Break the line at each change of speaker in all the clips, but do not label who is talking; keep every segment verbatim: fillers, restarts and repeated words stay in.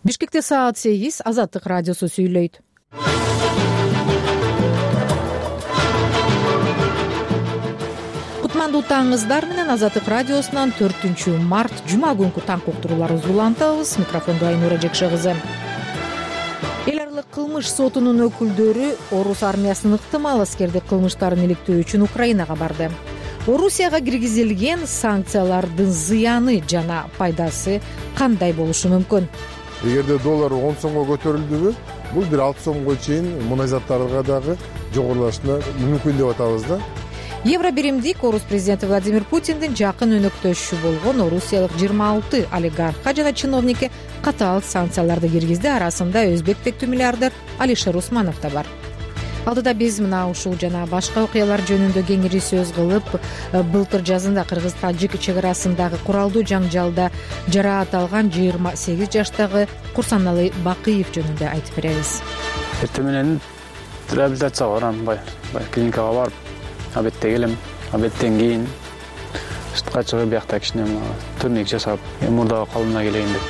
Бишкекте саат сегиз. Азаттык радиосу сүйлөйт. Кутмандуу таңыңыздар менен Азаттык радиосунан төртүнчү март жума күнкү таң уктурууларыбызды улантабыз. Микрофондо Айнура Жекше кызы. Эл аралык кылмыш сотунун өкүлдөрү орус армиясынын ыктымал аскердик кылмыштарын иликтөө үчүн Украинага барды. Орусияга киргизилген санкциялардын зыяны жана пайдасы кандай болушу мүмкүн?
Эгерде доллар он сомго көтөрүлдүбү, бул бир алты сомго чейин мунай заттарга дагы жогорулашына мүмкүн деп атабыз да.
Евро биримдик орус президенти Владимир Путиндин жакын өнөктөшү болгон орусиялык жыйырма алты олигархка жана чиновникке катаал санкцияларды киргизди. Арасында өзбек тектүү миллиардер Алишер Усманов да бар. Алдыда биз мына ушул жана башка окуялар жөнүндө кеңири сөз кылып, былтыр жазында кыргыз-тажик чек арасындагы куралдуу жаңжалда жараат алган жыйырма сегиз жаштагы Курсаналы Бакыев жөнүндө айтып беребиз.
Эртең менен реабилитацияга барам, бай клиникага барып, обедте келем, обедтен кийин сыртка чыгып, биякта кичине турник жасап, мурдагы калыбына келейин деп.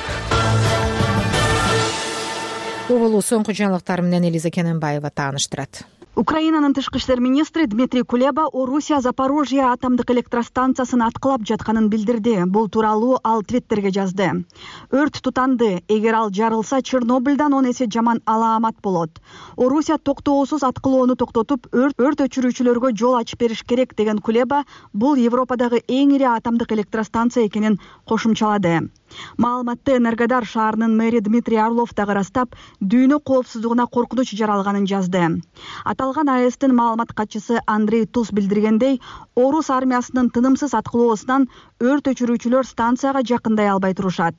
Бул соңку жаңылыктар менен Элиза Кененбаева тааныштырат.
Украинанын тышкы иштер министри Дмитрий Кулеба Орусия Запорожье атомдук электростанциясын аткылап жатканын билдирди. Бул тууралуу ал Твиттерге жазды. Өрт тутанды. Эгер ал жарылса, Чернобыльдан он эсе жаман алаамат болот. Орусия токтоосуз аткылоону токтотуп, өрт өрт өчүрүүчүлөргө жол ачып бериш керек деген Кулеба бул Европадагы эң ири атомдук электростанция экенин кошумчалады. Маалыматты Энергодар шаарынын мэри Дмитрий Орлов дагы ырастап, дүйнө коопсуздугуна коркунуч жаралганын жазды. Аталган АЭСтин маалымат катчысы Андрей Туз билдиргендей, орус армиясынын тынымсыз аткылоосунан өрт өчүрүүчүлөр станцияга жакындай албай турушат.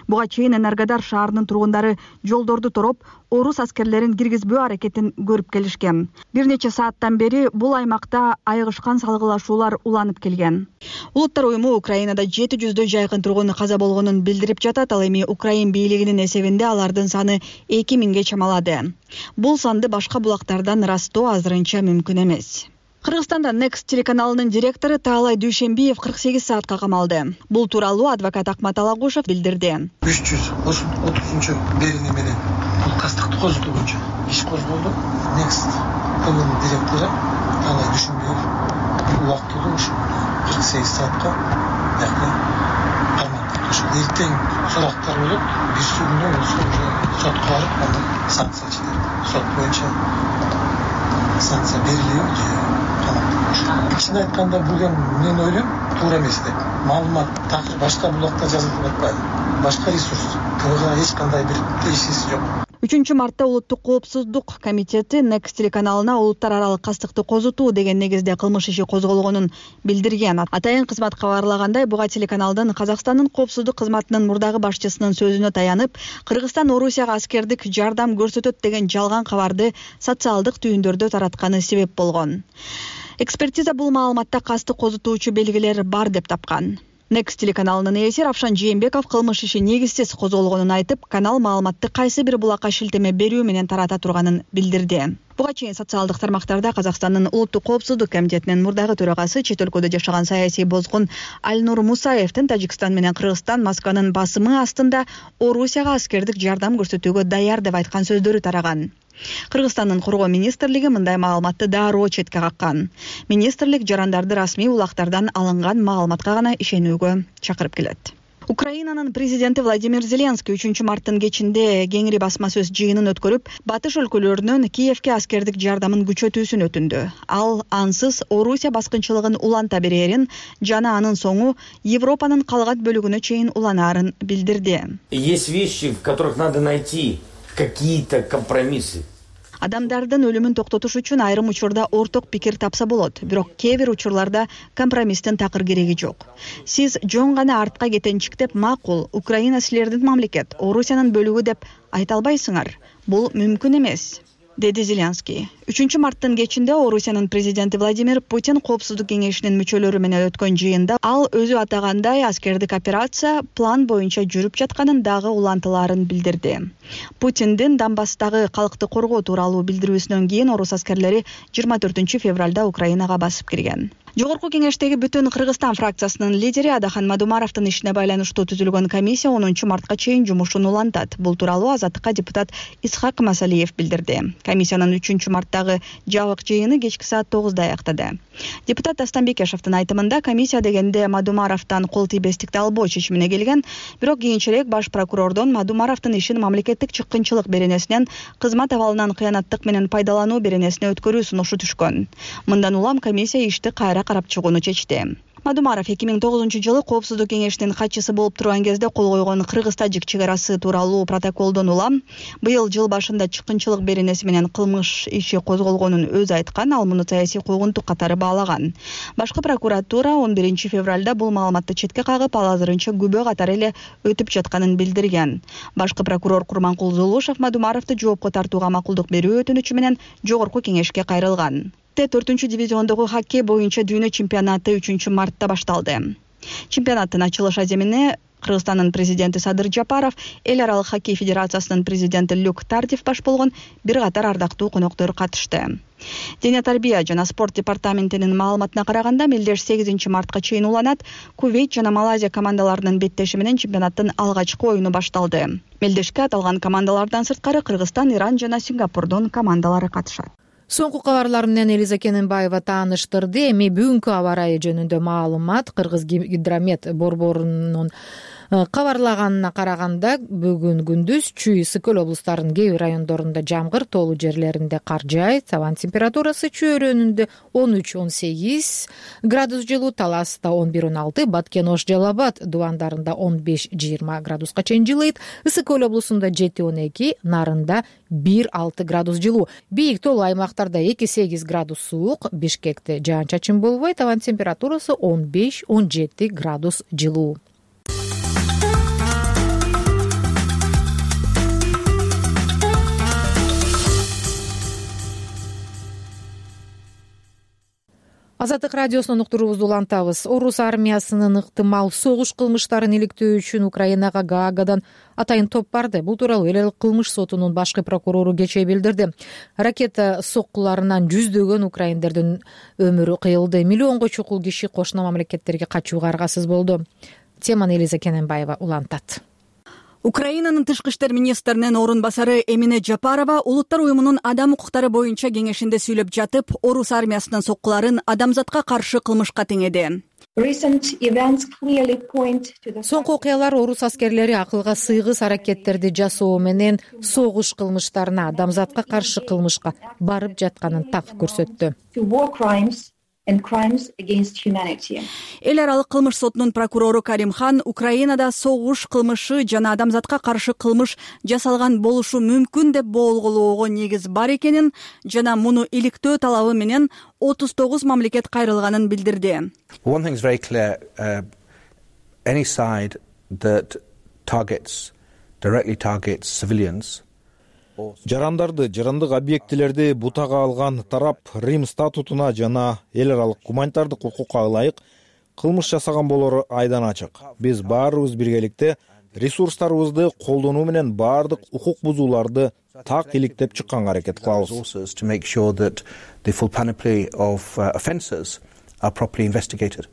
Буга чейин Энергодар шаарынын тургундары жолдорду тороп, орус аскерлерин киргизбөө аракетин көрүп келишкен. Бир нече сааттан бери бул аймакта айыгышкан салгылашуулар уланып келген. Улуттар уюму Украинада жети жүздөй жайкын тургун каза болгонун билдирип жатат. Ал эми Украин бийлигинин эсебинде алардын саны эки миңге чамалады. Бул санды башка булактардан ырастоо азырынча мүмкүн эмес. Кыргызстанда Next телеканалынын директору Таалай Дүйшенбиев кырк сегиз саатка камалды. Бул тууралуу адвокат Акмат Алагушев билдирди.
үч жүз отузунчу берүүнү менен бул кастыкты козутуу боюнча иш козголду. Next ТВнын директору Таалай Дүйшенбиев убактылуу ушу кырк сегиз саатка бияка камалды. Ошо эртең сурактар болот. Бир күндөн уже сотко барып, андан санкция чыгарды. Сот боюнча санкция берилиби же Кичине айтканда бул эми мен ойлойм туура эмес деп. Маалымат такыр башка булакта жазылып атпайбы? Башка ресурс. Буга эч кандай бир тиешеси жок.
үчүнчү мартта Улуттук коопсуздук комитети Next телеканалына улуттар аралык кастыкты козутуу деген негизде кылмыш иши козголгонун билдирген. Атайын кызмат кабарлагандай, буга телеканалдын Казакстандын коопсуздук кызматынын мурдагы башчысынын сөзүнө таянып, Кыргызстан Орусияга аскердик жардам көрсөтөт деген жалган кабарды социалдык түйүндөрдө таратканы себеп болгон. Экспертиза бул маалыматта кастык козутуучу белгилер бар деп тапкан. Next телеканалынын ээси Равшан Жээнбеков кылмыш иши негизсиз козголгонун айтып, канал маалыматты кайсы бир булакка шилтеме берүү менен тарата турганын билдирди. Буга чейин социалдык тармактарда Казакстандын Улуттук коопсуздук комитетинин мурдагы төрагасы, чет өлкөдө жашаган саясий бозгун Альнур Мусаевдин Тажикстан менен Кыргызстан Москванын басымы астында Орусияга аскердик жардам көрсөтүүгө даяр деп айткан сөздөрү тараган. Кыргызстандын коргоо министрлиги мындай маалыматты дароо четке каккан. Министрлик жарандарды расмий булактардан алынган маалыматка гана ишенүүгө чакырып келет. Украинанын президенти Владимир Зеленский үчүнчү марттын кечинде кеңири басма сөз жыйынын өткөрүп, батыш өлкөлөрүнөн Киевке аскердик жардамын күчөтүүсүн өтүндү. Ал ансыз Орусия баскынчылыгын уланта берерин жана анын соңу Европанын калган бөлүгүнө чейин уланаарын билдирди.
Есть вещи, в которых надо найти какие-то компромиссы.
Адамдардын өлүмүн токтотуш үчүн айрым учурда орток пикир тапса болот, бирок кээ бир учурларда компромисстин такыр кереги жок. Сиз жөн гана артка кетенчиктеп, макул, Украина силердин мамлекет, Орусиянын бөлүгү деп айта албайсыңар. Бул мүмкүн эмес, деди Зеленский. үчүнчү марттын кечинде Орусиянын президенти Владимир Путин коопсуздук кеңешинин мүчөлөрү менен өткөн жыйында ал өзү атагандай аскердик операция план боюнча жүрүп жатканын дагы улантыларын билдирди. Путиндин Донбасстагы калкты коргоо тууралуу билдирүүсүнөн кийин орус аскерлери жыйырма төртүнчү февралда Украинага басып кирген. Жогорку кеңештеги Бүтүн Кыргызстан фракциясынын лидери Адахан Мадумаровдун ишине байланыштуу түзүлгөн комиссия онунчу мартка чейин жумушун улантат. Бул тууралуу Азаттыкка депутат Исхак Масалиев билдирди. Комиссиянын үчүнчү марттагы жабык жыйыны кечки саат тогузда аяктады. Депутат Дастан Бекешевдин айтымында комиссия дегенде Мадумаровдон кол тийбестикти албоо чечимине келген, бирок кийинчерээк баш прокурордон Мадумаровдун ишин мамлекеттик чыккынчылык беренесинен кызмат абалынан кыянаттык менен пайдалануу беренесине өткөрүү сунушу түшкөн. Мындан улам комиссия ишти кайра карап чыгууну чечти. Мадумаров эки миң тогузунчу жылы Коопсуздук кеңешинин катчысы болуп турган кезде кол койгон Кыргыз-Тажик чек арасы тууралуу протоколдон улам быйыл жыл башында чыккынчылык беренеси менен кылмыш иши козголгонун өзү айткан, ал муну саясий куугунтук катары баалаган. Башкы прокуратура он биринчи февралда бул маалыматты четке кагып, ал азырынча күбө катары эле өтүп жатканын билдирген. Башкы прокурор Курманкул Зулушев Мадумаровду жоопко тартууга макулдук берүү өтүнүчү менен жогорку кеңешке кайрылган. төртүнчү дивизиондогу хоккей боюнча дүйнө чемпионаты үчүнчү мартта башталды. Чемпионаттын ачылыш аземине Кыргызстандын президенти Садыр Жапаров, Эл аралык хоккей федерациясынын президенти Люк Тардив баш болгон бир катар ардактуу коноктор катышты. Дене тарбия жана спорт департаментинин маалыматына караганда, мелдеш сегизинчи мартка чейин уланат. Кувейт жана Малайзия командаларынын беттеши менен чемпионаттын алгачкы оюну башталды. Мелдешке аталган командалардан сырткары Кыргызстан, Иран жана Сингапурдун командалары катышат.
Соңку кабарлар менен Элиза Кененбаева тааныштырды. Эми бүгүнкү аба ырайы жөнүндө маалымат. Кыргыз гидромет борборунун кабарлаганына караганда, бүгүн күндүз Чүй, Ысык-Көл облустарынын кээ бир райондорунда жамгыр, тоолуу жерлеринде кар жаайт. Абанын температурасы Чүй өрөөнүндө он үч он сегиз градус жылуу, Таласта он бир он алты, Баткен, Ош, Жалал Абад дубандарында он беш жыйырма градуска чейин жылыйт. Ысык-Көл облусунда жети он эки, Нарында бир алты градус жылуу. Бийик тоолуу аймактарда эки сегиз градус суук, Бишкекте жаан-чачын болбойт. Абанын температурасы он беш он жети градус жылуу. Азаттык радиосунун уктуруубузду улантабыз. Орус армиясынын ыктымал согуш кылмыштарын иликтөө үчүн Украинага Гаагадан атайын топ барды. Бул тууралуу Эл аралык кылмыш сотунун башкы прокурору кечээ билдирди. Ракета соккуларынан жүздөгөн украиндердин өмүрү кыйылды. Миллионго чукул киши кошуна мамлекеттерге качууга аргасыз болду. Теманы Элиза Кененбаева улантат.
Украинанын тышкы иштер министринин орун басары Эмине Жапарова Улуттар уюмунун адам укуктары боюнча кеңешинде сүйлөп жатып, орус армиясынын соккуларын адамзатка каршы кылмышка теңеди.
Соңку окуялар орус аскерлери акылга сыйгыс аракеттерди жасоо менен согуш кылмыштарына, адамзатка каршы кылмышка барып жатканын так көрсөттү.
Эл аралык кылмыш сотунун прокурору Каримхан Украинада согуш кылмышы жана адамзатка каршы кылмыш жасалган болушу мүмкүн деп болгоого негиз бар экенин жана муну иликтөө талабы менен отуз тогуз мамлекет кайрылганын билдирди.
One thing is very clear, uh, any side that targets, directly targets civilians.
Жарандарды, жарандык объектилерди бутага алган тарап Рим статутуна жана эл аралык гуманитардык укукка ылайык кылмыш жасаган болору айдан ачык. Биз баарыбыз биргеликте ресурстарыбызды колдонуу менен баардык укук бузууларды так иликтеп чыкканга аракет кылабыз.
To make sure that the full panoply of uh, offences are properly investigated.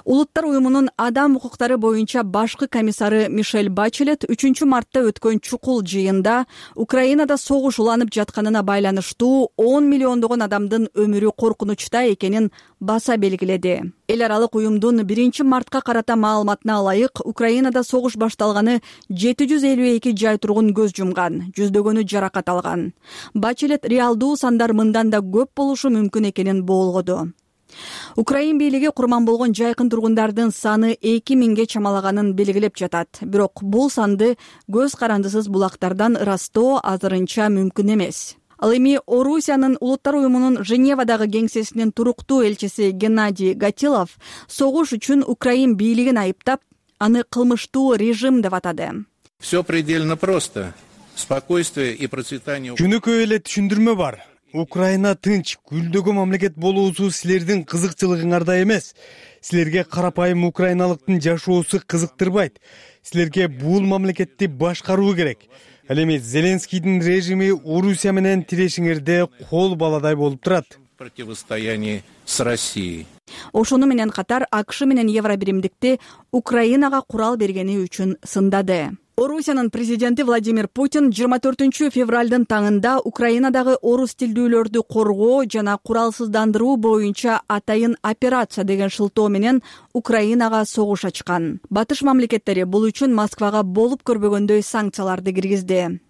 Улуттар уюмунун адам укуктары боюнча башкы комиссары Мишель Бачелет үчүнчү мартта өткөн чукул жыйында Украинада согуш уланып жатканына байланыштуу он миллиондогон адамдын өмүрү коркунучта экенин баса белгиледи. Эл аралык уюмдун биринчи мартка карата маалыматына ылайык, Украинада согуш башталганы жети жүз элүү эки жай тургун көз жумган, жүздөгөнү жаракат алган. Бачелет реалдуу сандар мындан да көп болушу мүмкүн экенин болгоду. Украин бийлиги курман болгон жайкын тургундардын саны эки миңге чамалаганын белгилеп жатат. Бирок бул санды көз карандысыз булактардан ырастоо азырынча мүмкүн эмес. Ал эми Орусиянын Улуттар уюмунун Женевадагы кеңсесинин туруктуу элчиси Геннадий Гатилов согуш үчүн Украин бийлигин айыптап, аны кылмыштуу режим деп атады.
Все предельно просто. Спокойствие и процветание.
Жөнөкөй эле түшүндүрмө бар. Украина тынч, гүлдөгөн мамлекет болуусу силердин кызыкчылыгыңарда эмес. Силерге карапайым украиналыктын жашоосу кызыктырбайт. Силерге бул мамлекетти башкаруу керек. Ал эми Зеленскийдин режими Орусия менен тирешиңерде кол баладай болуп турат.
противостоянии с Россией.
Ошону менен катар АКШ менен Евробиримдикти Украинага курал бергени үчүн сындады. Орусиянын президенти Владимир Путин жыйырма төртүнчү февралдын таңында Украинадагы орус тилдүүлөрдү коргоо жана куралсыздандыруу боюнча атайын операция деген шылтоо менен Украинага согуш ачкан. Батыш мамлекеттери бул үчүн Москвага болуп көрбөгөндөй санкцияларды киргизди.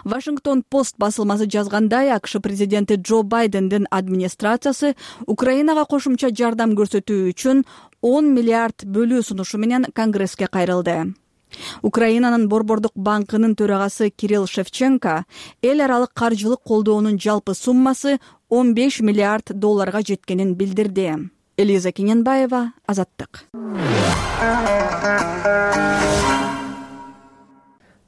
Вашингтон Пост басылмасы жазгандай, АКШ президенти Джо Байдендин администрациясы Украинага кошумча жардам көрсөтүү үчүн он миллиард бөлүү сунушу менен Конгресске кайрылды. Украинанын Борбордук банкынын төрагасы Кирилл Шевченко эл аралык каржылык колдоонун жалпы суммасы он беш миллиард долларга жеткенин билдирди. Элиза Кененбаева, Азаттык.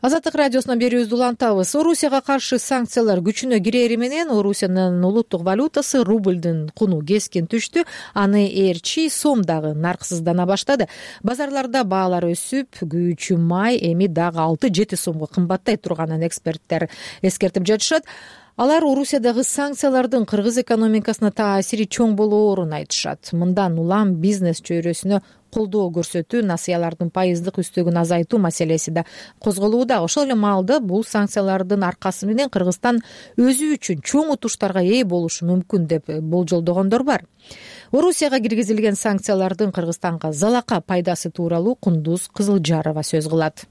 Азаттык радиосунан берүүбүздү улантабыз. Орусияга каршы санкциялар күчүнө кирери менен Орусиянын улуттук валютасы рублдун куну кескин түштү. Аны ээрчи сом дагы нарксыздана баштады. Базарларда баалар өсүп, күйүүчү май эми дагы алты жети сомго кымбаттай турганын эксперттер эскертип жатышат. Алар Орусиядагы санкциялардын кыргыз экономикасына таасири чоң болоорун айтышат. Мындан улам бизнес чөйрөсүнө колдоо көрсөтүү, насыялардын пайыздык үстөгүн азайтуу маселеси да козголууда. Ошол эле маалда бул санкциялардын аркасы менен Кыргызстан өзү үчүн чоң утуштарга ээ болушу мүмкүн деп болжолдогондор бар. Орусияга киргизилген санкциялардын Кыргызстанга залака пайдасы тууралуу Кундуз Кызылжарова сөз кылат.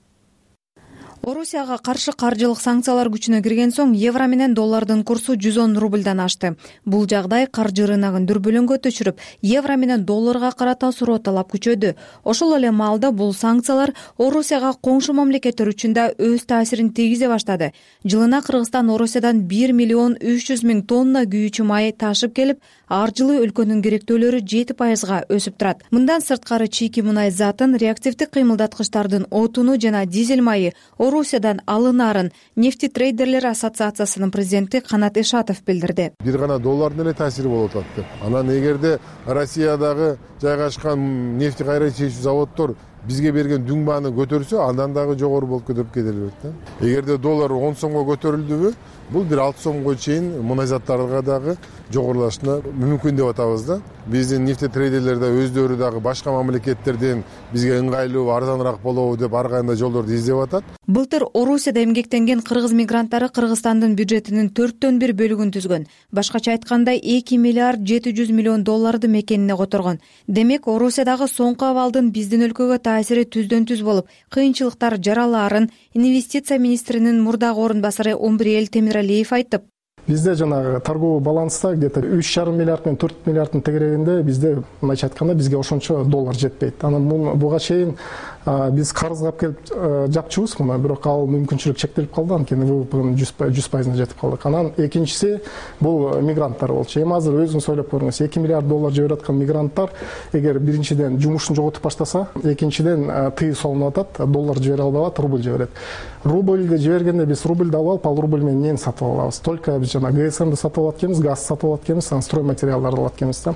Орусияга каршы каржылык санкциялар күчүнө кирген соң евро менен доллардын курсу жүз он рубльдан ашты. Бул жагдай каржы рыногун дүрбөлөңгө түшүрүп, евро менен долларга карата суроо талап күчөдү. Ошол эле маалда бул санкциялар Орусияга коңшу мамлекеттер үчүн да өз таасирин тийгизе баштады. Жылына Кыргызстан Орусиядан бир миллион үч жүз миң тонна күйүүчү май ташып келип, ар жылы өлкөнүн керектөөлөрү жети пайызга өсүп турат. Мындан сырткары чийки мунай затын, реактивдик кыймылдаткычтардын отуну жана дизель майы Орусиядан алынарын нефти трейдерлер ассоциациясынын президенти Канат Ишатов билдирди.
Бир гана доллардын эле таасири болуп атат деп. Анан эгерде Россиядагы жайгашкан нефти кайра чечүү заводдор бизге берген дүң бааны көтөрсө, андан дагы жогору болуп кетип кетелбейт да. Эгерде доллар он сомго көтөрүлдүбү, бул бир алты сомго чейин мунай заттарга дагы жогорулашына мүмкүн деп атабыз да. Биздин нефти трейдерлер да өздөрү дагы башка мамлекеттерден бизге ыңгайлуу, арзаныраак болобу деп ар кандай жолдорду издеп атат.
Былтыр Орусияда эмгектенген кыргыз мигранттары Кыргызстандын бюджетинин төрттөн бир бөлүгүн түзгөн. Башкача айтканда эки миллиард жети жүз миллион долларды мекенине которгон. Демек, Орусиядагы соңку абалдын биздин өлкөгө таасири түздөн түз болуп, кыйынчылыктар жаралаарын инвестиция министринин мурдагы орун басары Омбриэл Темиралиев айтып,
бизде жанагы торговый баланста где-то үч жарым миллиард менен төрт миллиарддын тегерегинде бизде мындайча айтканда бизге ошончо доллар жетпейт. Анан буга чейин биз карызга алып келип жапчубуз муну, бирок ал мүмкүнчүлүк чектелип калды, анткени бул жүз пайызына жетип калдык. Анан экинчиси бул мигранттар болчу. Эми азыр өзүңүз ойлоп көрүңүз, эки миллиард доллар жиберип аткан мигранттар эгер биринчиден жумушун жоготуп баштаса, экинчиден тыюу салынып атат, доллар жибере албай атат, рубль жиберет. Рубльди жибергенде биз рубльди алып алып, ал рубль менен эмнени сатып алабыз? Только биз жана ГСМди сатып алат экенбиз, газ сатып алат экенбиз, стройматериалдарды алат экенбиз да.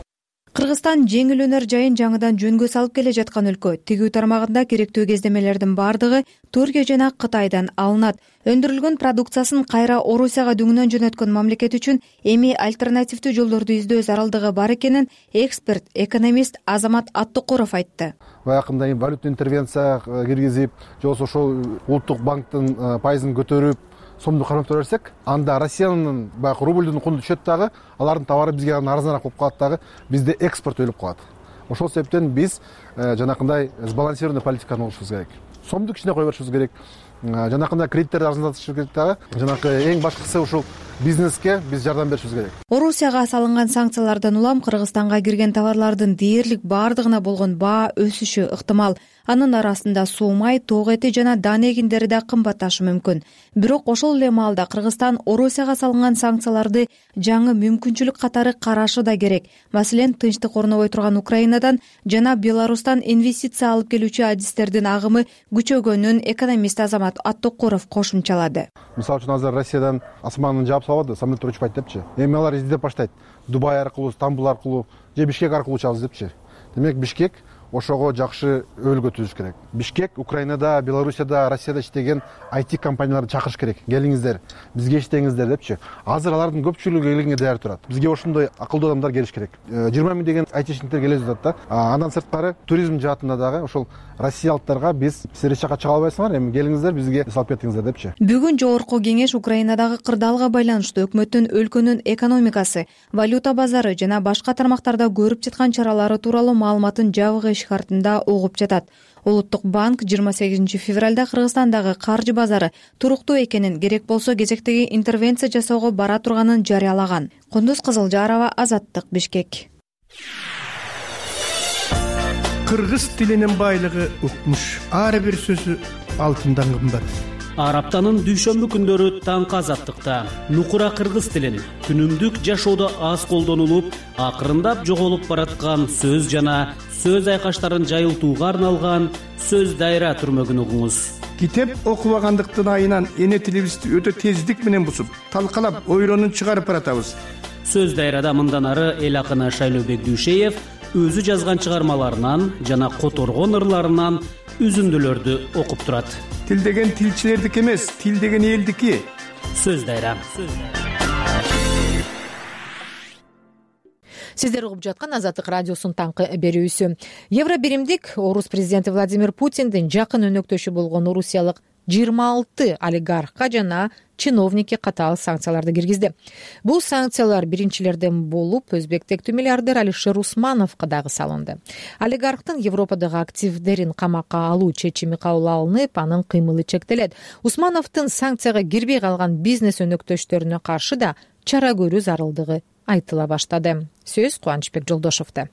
Кыргызстан жеңил өнөр жайын жаңыдан жөнгө салып келе жаткан өлкө. Тигүү тармагында керектүү кездемелердин бардыгы Түркия жана Кытайдан алынат. Өндүрүлгөн продукциясын кайра Орусияга дүңүнөн жөнөткөн мамлекет үчүн эми альтернативдүү жолдорду издөө зарылдыгы бар экенин эксперт, экономист Азамат Аттыкуров айтты.
Баягында эми валютный интервенция киргизип, же болбосо ошол улуттук банктын пайызын көтөрүп, сомду кармап берсек, анда Россиянын баягы рубльдун куну түшөт дагы, алардын товары бизге арзаныраак болуп калат дагы, бизде экспорт өлүп калат. Ошол себептен биз жанакындай сбалансированный политиканы болушубуз керек. Сомду кичине кое беришибиз керек. Жанакындай кредиттерди арзандатышыбыз керек дагы. Жанакы эң башкысы ушул бизнеске биз жардам беришибиз керек.
Орусияга салынган санкциялардан улам Кыргызстанга кирген товарлардын дээрлик бардыгына болгон баа өсүшү ыктымал. Анын арасында суу май, тоок эти жана дан эгиндери да кымбатташы мүмкүн. Бирок ошол эле маалда Кыргызстан Орусияга салынган санкцияларды жаңы мүмкүнчүлүк катары карашы да керек. Маселен, тынчтык орнобой турган Украинадан жана Беларустан инвестиция алып келүүчү адистердин агымы күчөгөнүн экономист Азамат Аттыкуров кошумчалады.
Мисалы үчүн азыр Россиядан асманын жаап салбады, самолеттер учпайт депчи. Эми алар издеп баштайт. Дубай аркылуу, Стамбул аркылуу же Бишкек аркылуу учабыз депчи. Демек Бишкек ошого жакшы өбөлгө түзүш керек. Бишкек Украинада, Белоруссияда, Россияда иштеген ай ти компанияларды чакырыш керек. Келиңиздер, бизге иштеңиздер депчи. Азыр алардын көпчүлүгү келгенге даяр турат. Бизге ошондой акылдуу адамдар келиш керек. жыйырма миң деген айтишниктер келе жатат да. Андан сырткары туризм жаатында дагы ошол россиялыктарга биз силер эч жака чыга албайсыңар, эми келиңиздер бизге салып кетиңиздер депчи.
Бүгүн жогорку кеңеш Украинадагы кырдаалга байланыштуу өкмөттүн өлкөнүн экономикасы, валюта базары жана башка тармактарда көрүп жаткан чаралары тууралуу маалыматын жабык эшик артында угуп жатат. Улуттук банк жыйырма сегизинчи февралда Кыргызстандагы каржы базары туруктуу экенин, керек болсо кезектеги интервенция жасоого бара турганын жарыялаган. Кундуз Кызылжарова, Азаттык, Бишкек.
Кыргыз тилинин байлыгы укмуш. Ар бир сөзү алтындан кымбат.
Ар аптанын дүйшөмбү күндөрү таңкы Азаттыкта нукура кыргыз тилин күнүмдүк жашоодо аз колдонулуп, акырындап жоголуп бараткан сөз жана сөз айкаштарын жайылтууга арналган сөз дайра түрмөгүн угуңуз.
Китеп окубагандыктын айынан эне тилибизди өтө тездик менен бусуп, талкалап, ойронун чыгарып баратабыз.
Сөз дайрада мындан ары эл акыны Шайлообек Дүйшеев өзү жазган чыгармаларынан жана которгон ырларынан үзүндүлөрдү окуп турат.
Тил деген тилчилердики эмес, тил деген элдики.
Сөз дайра.
Сиздер угуп жаткан Азаттык радиосунун таңкы берүүсү. Евро биримдик орус президенти Владимир Путиндин жакын өнөктөшү болгон орусиялык жыйырма алты олигархка жана чиновникке катаал санкцияларды киргизди. Бул санкциялар биринчилерден болуп өзбек-тектүү миллиардер Алишер Усмановго дагы салынды. Олигархтын Европадагы активдерин камакка алуу чечими кабыл алынып, анын кыймылы чектелет. Усмановдун санкцияга кирбей калган бизнес өнөктөштөрүнө каршы да чара көрүү зарылдыгы айтыла баштады. Сөз Кубанычбек Жолдошовдо.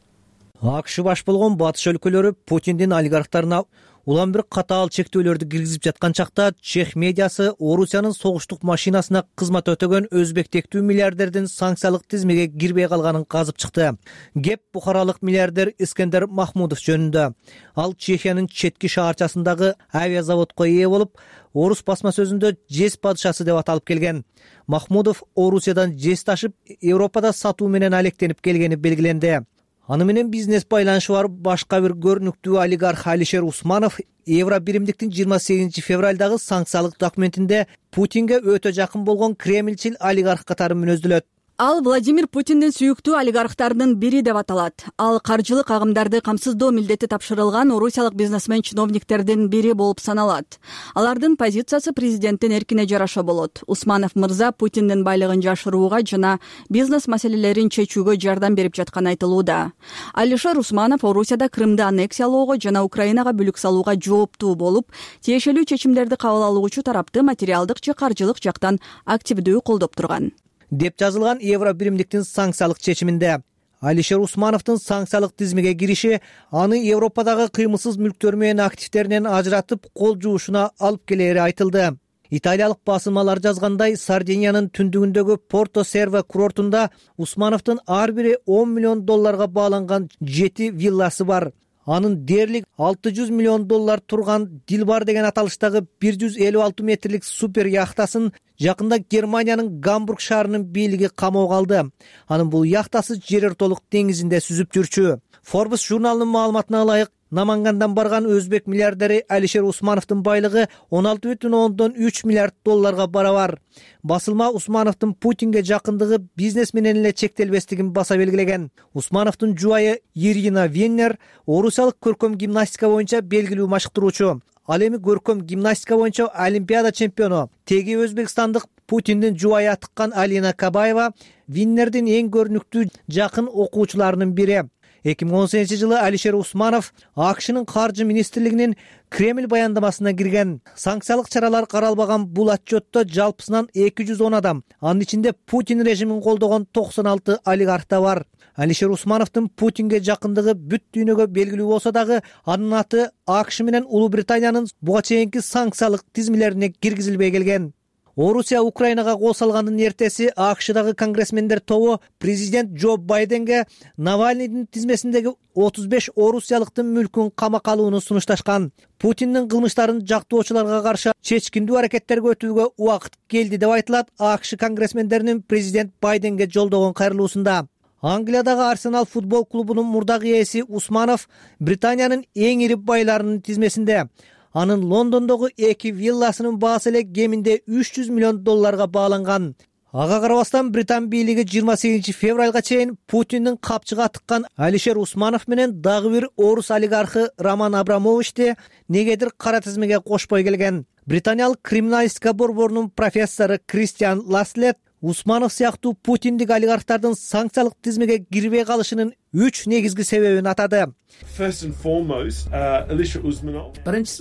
АКШ баш болгон батыш өлкөлөрү Путиндин олигархтарына улам бир катаал чектөөлөрдү киргизип жаткан чакта чех медиасы Орусиянын согуштук машинасына кызмат өтөгөн өзбек-тектүү миллиардердин санкциялык тизмеге кирбей калганын казып чыкты. Кеп бухаралык миллиардер Искендер Махмудов жөнүндө. Ал Чехиянын четки шаарчасындагы авиазаводко ээ болуп, орус басма сөзүндө жез падышасы деп аталып келген. Махмудов Орусиядан жез ташып, Европада сатуу менен алектенип келгени белгиленди. Аны менен бизнес байланышы бар башка бир көрүнүктүү олигарх Алишер Усманов Евро биримдиктин жыйырма сегизинчи февралдагы санкциялык документинде Путинге өтө жакын болгон кремльчил олигарх катары мүнөздөлөт.
Ал Владимир Путиндин сүйүктүү олигархтарынын бири деп аталат. Ал каржылык агымдарды камсыздоо милдети тапшырылган орусиялык бизнесмен чиновниктердин бири болуп саналат. Алардын позициясы президенттин эркине жараша болот. Усманов мырза Путиндин байлыгын жашырууга жана бизнес маселелерин чечүүгө жардам берип жатканы айтылууда. Алишер Усманов Орусияда Крымды аннексиялоого жана Украинага бүлүк салууга жооптуу болуп, тиешелүү чечимдерди кабыл алуучу тарапты материалдык же каржылык жактан активдүү колдоп турган
деп жазылган Евро биримдиктин санкциялык чечиминде. Алишер Усмановдун санкциялык тизмеге кириши аны Европадагы кыймылсыз мүлктөр менен активдеринен ажыратып кол жуушуна алып келери айтылды. Италиялык басылмалар жазгандай, Сардиниянын түндүгүндөгү Порто Серва курортунда Усмановдун ар бири он миллион долларга бааланган жети вилласы бар. Анын дээрлик алты жүз миллион доллар турган Дилбар деген аталыштагы бир жүз элүү алты метрлик супер яхтасын жакында Германиянын Гамбург шаарынын бийлиги камоого алды. Анын бул яхтасы жер ортолук деңизинде сүзүп жүрчү. Forbes журналынын маалыматына ылайык, Намангандан барган өзбек миллиардери Алишер Усмановдун байлыгы он алты бүтүн ондон үч миллиард долларга барабар. Басылма Усмановдун Путинге жакындыгы бизнес менен эле чектелбестигин баса белгилеген. Усмановдун жубайы Ирина Веннер орусиялык көркөм гимнастика боюнча белгилүү машыктыруучу. Ал эми көркөм гимнастика боюнча Олимпиада чемпиону. Теги өзбекстандык Путиндин жубайы атыккан Алина Кабаева Виннердин эң көрүнүктүү жакын окуучуларынын бири. эки миң он сегизинчи жылы Алишер Усманов АКШнын каржы министрлигинин Кремль баяндамасына кирген. Санкциялык чаралар каралбаган бул отчетто жалпысынан эки жүз он адам, анын ичинде Путин режимин колдогон токсон алты олигарх да бар. Алишер Усмановдун Путинге жакындыгы бүт дүйнөгө белгилүү болсо дагы, анын аты АКШ менен Улуу Британиянын буга чейинки санкциялык тизмелерине киргизилбей келген. Орусия Украинага кол салгандын эртеси АКШдагы конгрессмендер тобу президент Джо Байденге Навальныйдын тизмесиндеги отуз беш орусиялыктын мүлкүн камакка алууну сунушташкан. Путиндин кылмыштарын жактоочуларга каршы чечкиндүү аракеттерге өтүүгө убакыт келди деп айтылат АКШ конгрессмендеринин президент Байденге жолдогон кайрылуусунда. Англиядагы Арсенал футбол клубунун мурдагы ээси Усманов Британиянын эң ири байларынын тизмесинде. Анын Лондондогу эки вилласынын баасы эле кеминде үч жүз миллион долларга бааланган. Ага карабастан Британ бийлиги жыйырма сегизинчи февралга чейин Путиндин капчыга тыккан Алишер Усманов менен дагы бир орус олигархы Роман Абрамовичти негедир кара тизмеге кошпой келген. Британиялык криминалистика борборунун профессору Кристиан Ласлет Усманов сыяктуу путиндик олигархтардын санкциялык тизмеге кирбей калышынын үч негизги себебин атады.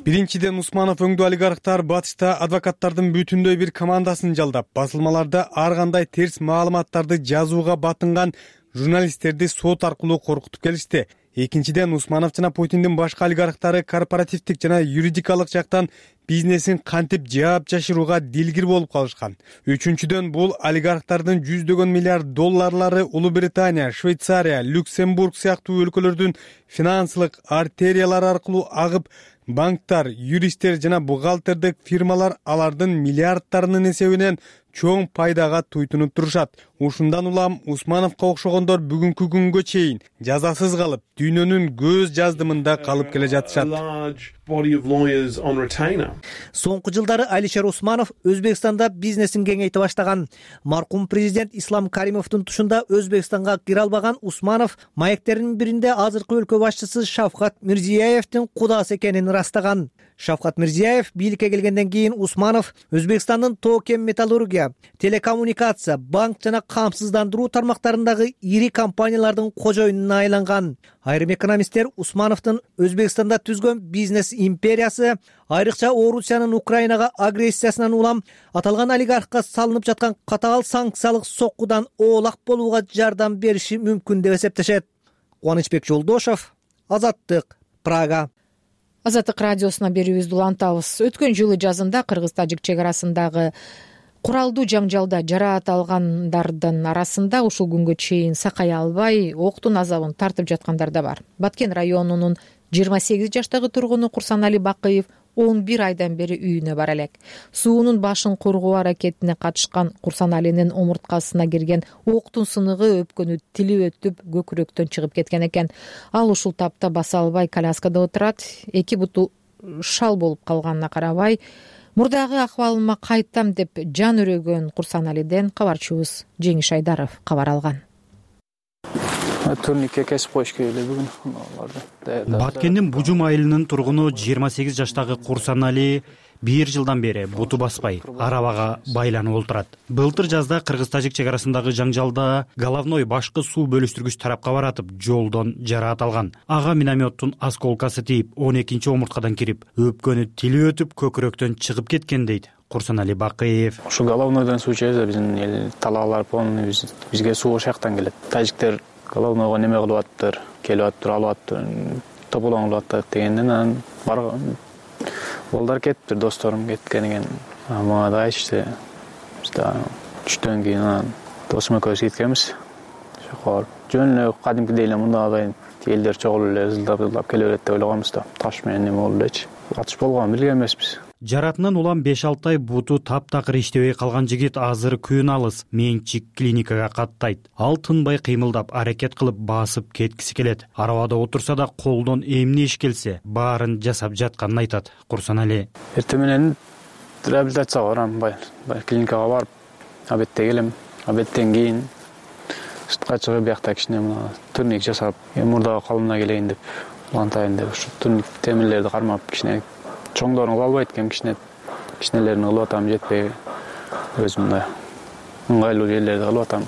Биринчиден, Усманов өңдүү олигархтар батышта адвокаттардын бүтүндөй бир командасын жалдап, басылмаларда ар кандай терс маалыматтарды жазууга батынган журналисттерди сот аркылуу коркутуп келишти. Экинчиден, Усманов жана Путиндин башка олигархтары корпоративдик жана юридикалык жактан бизнесин кантип жаап жашырууга дилгир болуп калышкан. Үчүнчүдөн, бул олигархтардын жүздөгөн миллиард долларлары Улуу Британия, Швейцария, Люксембург сыяктуу өлкөлөрдүн финансылык артериялары аркылуу агып, банктар, юристтер жана бухгалтердик фирмалар алардын миллиардтарынын эсебинен чоң пайдага туйтунуп турушат. Ушундан улам Усмановго окшогондор бүгүнкү күнгө чейин жазасыз калып, дүйнөнүн көз жаздымында калып келе жатышат.
Соңку жылдары Алишер Усманов Өзбекстанда бизнесин кеңейте баштаган. Маркум президент Ислам Каримовдун тушунда Өзбекстанга кире албаган Усманов маектеринин биринде азыркы өлкө башчысы Шавкат Мирзиеевдин кудасы экенин ырастаган. Шавкат Мирзиеев бийликке келгенден кийин Усманов Өзбекстандын тоо-кен металлургия, телекоммуникация, банк жана камсыздандыруу тармактарындагы ири компаниялардын кожоюнуна айланган. Айрым экономисттер Усмановдун Өзбекстанда түзгөн бизнес империясы, айрыкча Орусиянын Украинага агрессиясынан улам аталган олигархка салынып жаткан катаал санкциялык соккудан оолак болууга жардам бериши мүмкүн деп эсептешет. Кубанычбек Жолдошов, Азаттык, Прага.
Азаттык радиосуна берүүбүздү улантабыз. Өткөн жылы жазында кыргыз-тажик чек арасындагы куралдуу жаңжалда жараат алгандардын арасында ушул күнгө чейин сакай албай октун азабын тартып жаткандар да бар. Баткен районунун жыйырма сегиз жаштагы тургуну Курсанали Бакыев он бир айдан бери үйүнө бара элек. Суунун башын коргоо аракетине катышкан Курсаналинин омурткасына кирген октун сыныгы өпкөнү тили өтүп көкүрөктөн чыгып кеткен экен. Ал ушул тапта баса албай коляскада отурат. Эки буту шал болуп калганына карабай, мурдагы акыбалыма кайтам деп жан өрөгөн Курсаналиден кабарчыбыз Жеңиш Айдаров кабар алган.
Турникке кесип коюш керек эле бүгүн.
Баткендин Бужум айылынын тургуну жыйырма сегиз жаштагы Курсанали бир жылдан бери буту баспай арабага байланып отурат. Былтыр жазда кыргыз-тажик чек арасындагы жаңжалда головной башкы суу бөлүштүргүч тарапка баратып жолдон жараат алган. Ага минометтун осколкасы тийип он экинчи омурткадан кирип, өпкөнү тили өтүп көкүрөктөн чыгып кеткен дейт Курсанали Бакыев.
Ушу головнойдон суу чыгса биздин эл талаалар полный бизге суу ошол жактан келет. Тажиктер головнойго неме кылып атыптыр, келип атыптыр, алып атыптыр, тополоңуп атат дегенден анан барган балдар кетиптир, досторум кеткен экен. Мага да айтышты. Түштөн кийин анан досум экөөбүз кеткенбиз. Ошо жөн эле кадимкидей эле мындагы элдер чогулуп эле ызылдап келе берет деп ойлогонбуз да. Таш менен неме болду элечи. Атыш болгонун билген эмеспиз.
Жаратынан улам беш алты ай буту таптакыр иштебей калган жигит азыр күн алыс Менчик клиникага каттайт. Ал тынбай кыймылдап, аракет кылып басып кеткиси келет. Арабада отурса да колдон эмне иш келсе, баарын жасап жатканын айтат Курсанали.
Эртең менен реабилитацияга барам, бай клиникага барып, обедте келем. Обедтен кийин сыртка чыгып, биякта кичине мына турник жасап, мурдагы калыбына келейин деп, улантайын деп, ушу турник темирлерди кармап кичине чоңдорун кыла албайт экен, кичине кичинелерин кылып атам, жетпей өзүм мындай ыңгайлуу жерлерди кылып атам.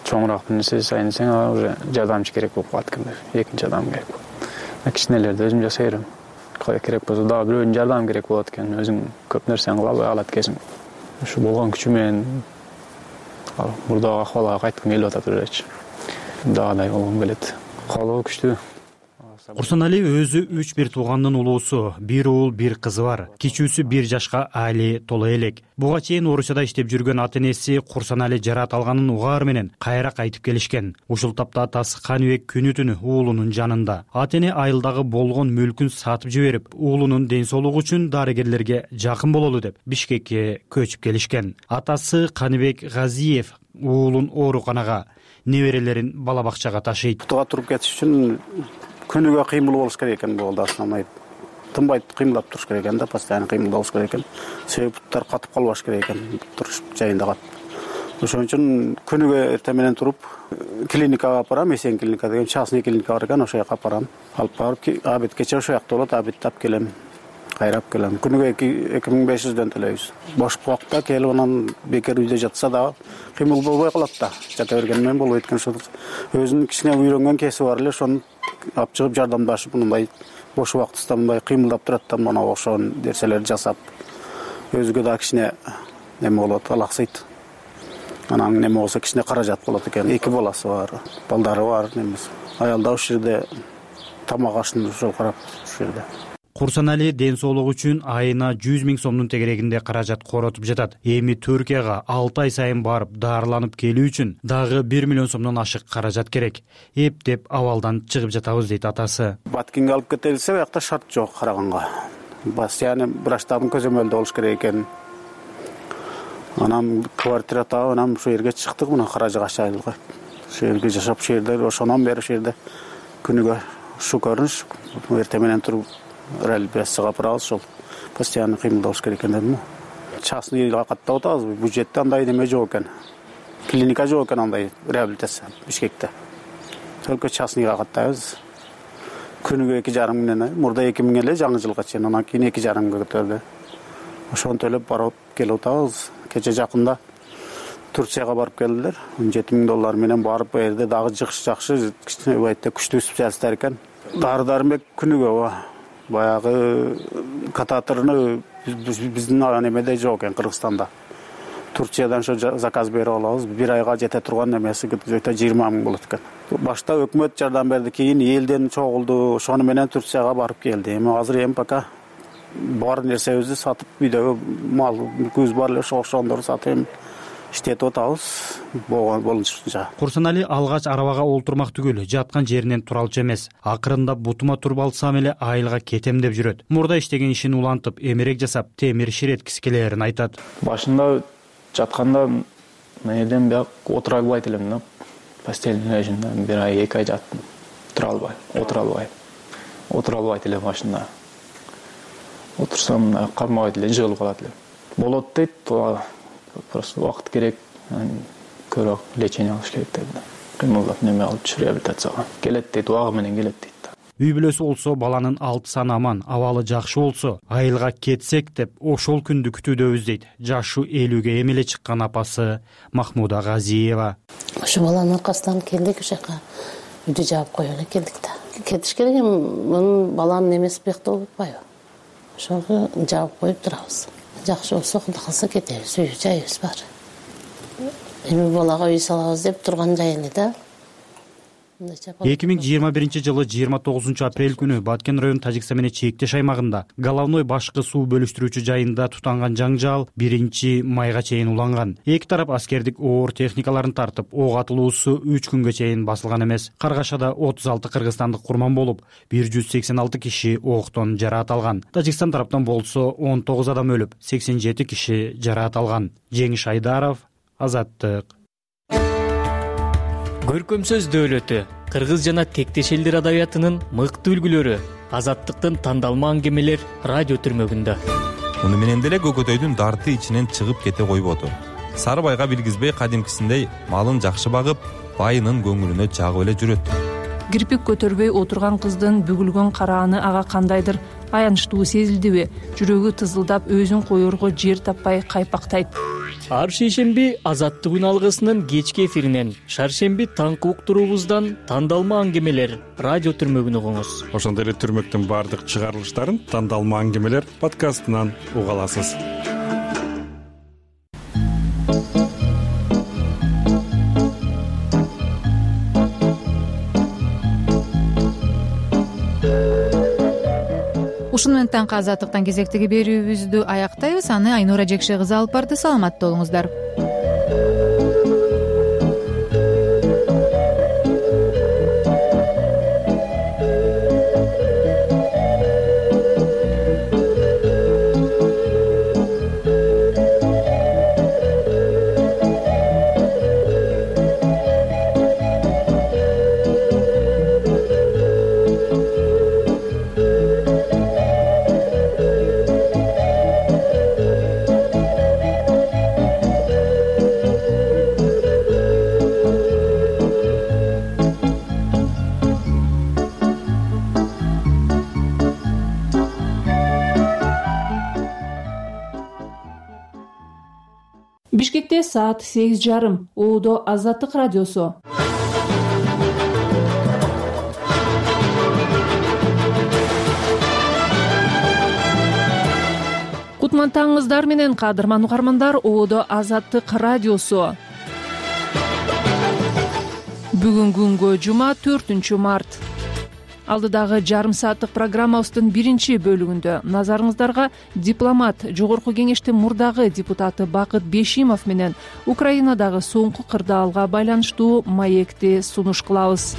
Чоңураак бир нерсе жасайын десең, уже жардамчы керек болуп калат экен, экинчи адам керек. Кичинелерди өзүм жасай берем. Керек болсо дагы бирөөнүн жардамы керек болот экен, өзүң көп нерсени кыла албай калат экенсиң. Ушу болгон күчү менен мурдагы акыбалга кайткым келип атат элечи. Дагыдай болгум келет. Каалоо күчтүү.
Курсанали өзү үч бир туугандын улуусу, бир уул, бир кызы бар. Кичүүсү бир жашка али толо элек. Буга чейин Орусияда иштеп жүргөн ата-энеси Курсанали жараат алганын угаар менен кайра кайтып келишкен. Ушул тапта атасы Каныбек күнү түнү уулунун жанында. Ата-эне айылдагы болгон мүлкүн сатып жиберип, уулунун ден соолугу үчүн дарыгерлерге жакын бололу деп Бишкекке көчүп келишкен. Атасы Каныбек Газиев уулун ооруканага, неберелерин бала бакчага ташыйт.
Туга туруп кетиш үчүн күнүгө кыймыл болуш керек экен, бул основной. Тынбай кыймылдап туруш керек экен да, постоянно кыймыл болуш керек экен. Себеби буттар катып калбаш керек экен, туруш жайында катып. Ошон үчүн күнүгө эртең менен туруп клиникага апарам, Эсен клиника деген частный клиника бар экен, ошол жака апарам. Алып барып, абит кече ошол жакта болот, абитти алып келем. Кайрап келем. Күнүгө эки миң беш жүздөн төлөйбүз. Бош убакта келип анан бекер үйдө жатса да кыймыл болбой калат да. Жата берген менен болбойт экен. Өзүнүн кичине үйрөнгөн кеси бар эле, ошону алып чыгып жардамдашып, мындай бош убактысында мындай кыймылдап турат да, мына ошон нерселерди жасап, өзүгө да кичине неме болот, алаксыйт. Анан неме болсо кичине каражат болот экен. Эки баласы бар, балдары бар, немес. Аялда ушул жерде тамак ашын ошол карап ушул жерде.
Курсанали ден соолугу үчүн айына жүз миң сомдун тегерегинде каражат коротуп жатат. Эми Түркияга алты ай сайын барып дарыланып келүү үчүн дагы бир миллион сомдон ашык каражат керек. Эптеп абалдан чыгып жатабыз дейт атасы.
Баткинге алып кетелсе, аякта шарт жок караганга. Постоянно врачтардын көзөмөлүндө болуш керек экен. Анан квартира таап, анан ушул жерге чыктык, мына Каражыгаш айылга. Ушул жерге жашап, ушул жерде ошонон бери ушул жерде күнүгө ушу көрүнүш, эртең менен туруп реабилитацияга апарабыз, ошол постоянно кыймылдабыш керек экен дедим. Частныйга каттап атабыз, бюджетте андай неме жок экен. Клиника жок экен андай реабилитация Бишкекте. Только частныйга каттайбыз. Күнүгө эки жарым миңден, мурда эки миң эле жаңы жылга чейин, анан кийин эки жарым миңге көтөрдү. Ошону төлөп барып келип атабыз. Кече жакында Турцияга барып келдилер. он жети миң доллар менен барып, бу жерде дагы жакшы жакшы, кичине байта күчтүү специалисттер экен. Дары-дармек күнүгө баягы кататоруну биздин немеде жок экен, Кыргызстанда. Турциядан ошо заказ берип алабыз. Бир айга жете турган немеси где-то жыйырма миң болот экен. Башта өкмөт жардам берди, кийин элден чогулду, ошону менен Турцияга барып келди. Эми азыр эми пока бар нерсебизди сатып, үйдөгү мал мүлкүбүз бар эле, ошондорду сатып иштетип атабыз болушунча.
Курсанали алгач арабага олтурмак түгүл, жаткан жеринен туралчу эмес. Акырында бутума туруп алсам эле айылга кетем деп жүрөт. Мурда иштеген ишин улантып, эмерек жасап, темир ширеткиси келерин айтат.
Башында жатканда менен бияк отура албайт элем да. Постельный режимде бир ай, эки ай жаттым. Тура албай, отура албай. Отура албайт элем башында. Отурсам кармабайт эле, жыгылып калат элем. Болот дейт, просто убакыт керек, көрөк лечение алыш керек дейт. Кыймылдап неме алып реабилитацияга келет дейт, убагы менен келет дейт.
Үй бүлөсү болсо, баланын алты саны аман, абалы жакшы болсо, айылга кетсек деп ошол күндү күтүүдөбүз дейт. Жашы элүүгө эми эле чыккан апасы Махмуда Газиева.
Ошо баланын аркасынан келдик, ошол жака үйдү жаап коюп эле келдик да. Кетиш керек, мунун баланын немеси бекте болуп атпайбы? Ошого жаап коюп турабыз. Жакшы болсо, Кудай калса кетебиз, үй жайыбыз бар. Эми балага үй салабыз деп турган жай эле да.
эки миң жыйырма биринчи жылы жыйырма тогузунчу апрель күнү Баткен район Тажикстан менен чектеш аймагында Головной башкы суу бөлүштүрүүчү жайында тутанган жаңжал биринчи майга чейин уланган. Эки тарап аскердик оор техникаларын тартып, ок атылуусу үч күнгө чейин басылган эмес. Каргашада отуз алты кыргызстандык курман болуп, бир жүз сексен алты киши октон жараат алган. Тажикстан тараптан болсо он тогуз адам өлүп, сексен жети киши жараат алган. Жеңиш Айдаров, Азаттык.
Көркөм сөз дөөлөтү, кыргыз жана тектеш элдер адабиятынын мыкты үлгүлөрү, Азаттыктын тандалма аңгемелер радио түрмөгүндө.
Муну менен деле көкөтөйдүн дарты ичинен чыгып кете койбоду. Сары байга билгизбей кадимкисиндей малын жакшы багып, байынын көңүлүнө жагып эле жүрөт.
Кирпик көтөрбөй отурган кыздын бүгүлгөн карааны ага кандайдыр аянычтуу сезилдиби? Жүрөгү тызылдап, өзүн коерго жер таппай кайпактайт.
Ар шейшемби Азаттык алгысынын кечки эфиринен, шаршемби таңкы уктуруубуздан тандалма аңгемелер радио түрмөгүн угуңуз.
Ошондой эле түрмөктүн баардык чыгарылыштарын тандалма аңгемелер подкастынан уга аласыз.
ушуну менен таңкы азаттыктан кезектеги берүүбүздү аяктайбыз. Аны Айнура Жекше кызы алып барды. Саламатта болуңуздар.
Бишкекте саат сегиз жарым. Оодо Азаттык радиосу. Кутман таңыңыздар менен кадырман угармандар. Оодо Азаттык радиосу. Бүгүн күнгө жума төртүнчү март. Алдыдагы жарым сааттык программабыздын биринчи бөлүгүндө назарыңыздарга дипломат, жогорку кеңештин мурдагы депутаты Бакыт Бешимов менен Украинадагы соңку кырдаалга байланыштуу маекти сунуш кылабыз.